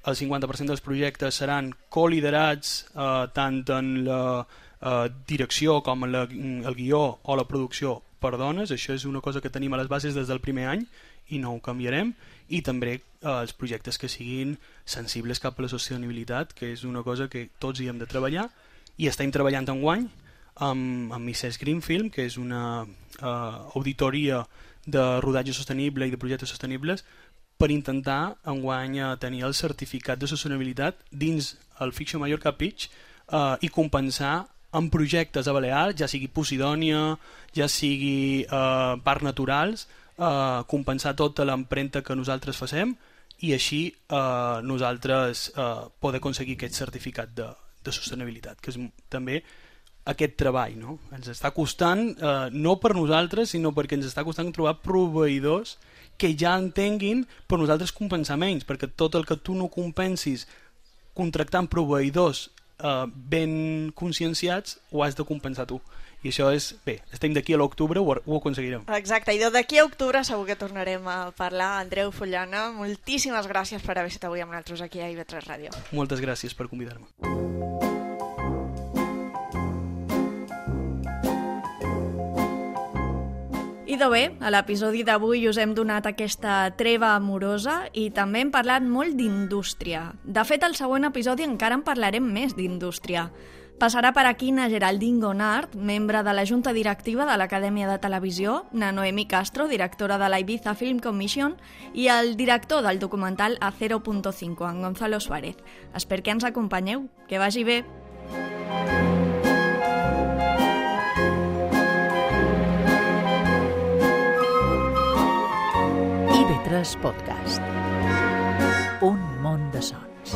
el cinquanta per cent dels projectes seran coliderats eh, tant en la eh, direcció com en la, el guió o la producció per dones. Això és una cosa que tenim a les bases des del primer any i no ho canviarem, i també eh, els projectes que siguin sensibles cap a la sostenibilitat, que és una cosa que tots hi hem de treballar, i estem treballant enguany amb, amb Misses Green Film, que és una uh, auditoria de rodatge sostenible i de projectes sostenibles, per intentar enguany uh, tenir el certificat de sostenibilitat dins el Fiction Mallorca Pitch uh, i compensar amb projectes a Balears, ja sigui Posidònia, ja sigui uh, parcs naturals, uh, compensar tota l'empremta que nosaltres facem, i així uh, nosaltres uh, poder aconseguir aquest certificat de de sostenibilitat, que és també aquest treball, no? Ens està costant, eh, no per nosaltres, sinó perquè ens està costant trobar proveïdors que ja entenguin per nosaltres compensar menys, perquè tot el que tu no compensis contractant proveïdors eh, ben conscienciats, ho has de compensar tu. I això és, bé, estem d'aquí a l'octubre, ho, ho aconseguirem. Exacte, i d'aquí a octubre segur que tornarem a parlar. Andreu Fullana, moltíssimes gràcies per haver estat avui amb nosaltres aquí a I V tres Ràdio. Moltes gràcies per convidar-me. Idò bé, a l'episodi d'avui us hem donat aquesta treva amorosa i també hem parlat molt d'indústria. De fet, al següent episodi encara en parlarem més d'indústria. Passarà per aquí na Geraldine Gonard, membre de la Junta Directiva de l'Acadèmia de Televisió, na Noemi Castro, directora de la Ibiza Film Commission, i el director del documental A cero punto cinco, en Gonzalo Suárez. Espero que ens acompanyeu. Que vagi bé! I ve tres Podcast. Un món de sons.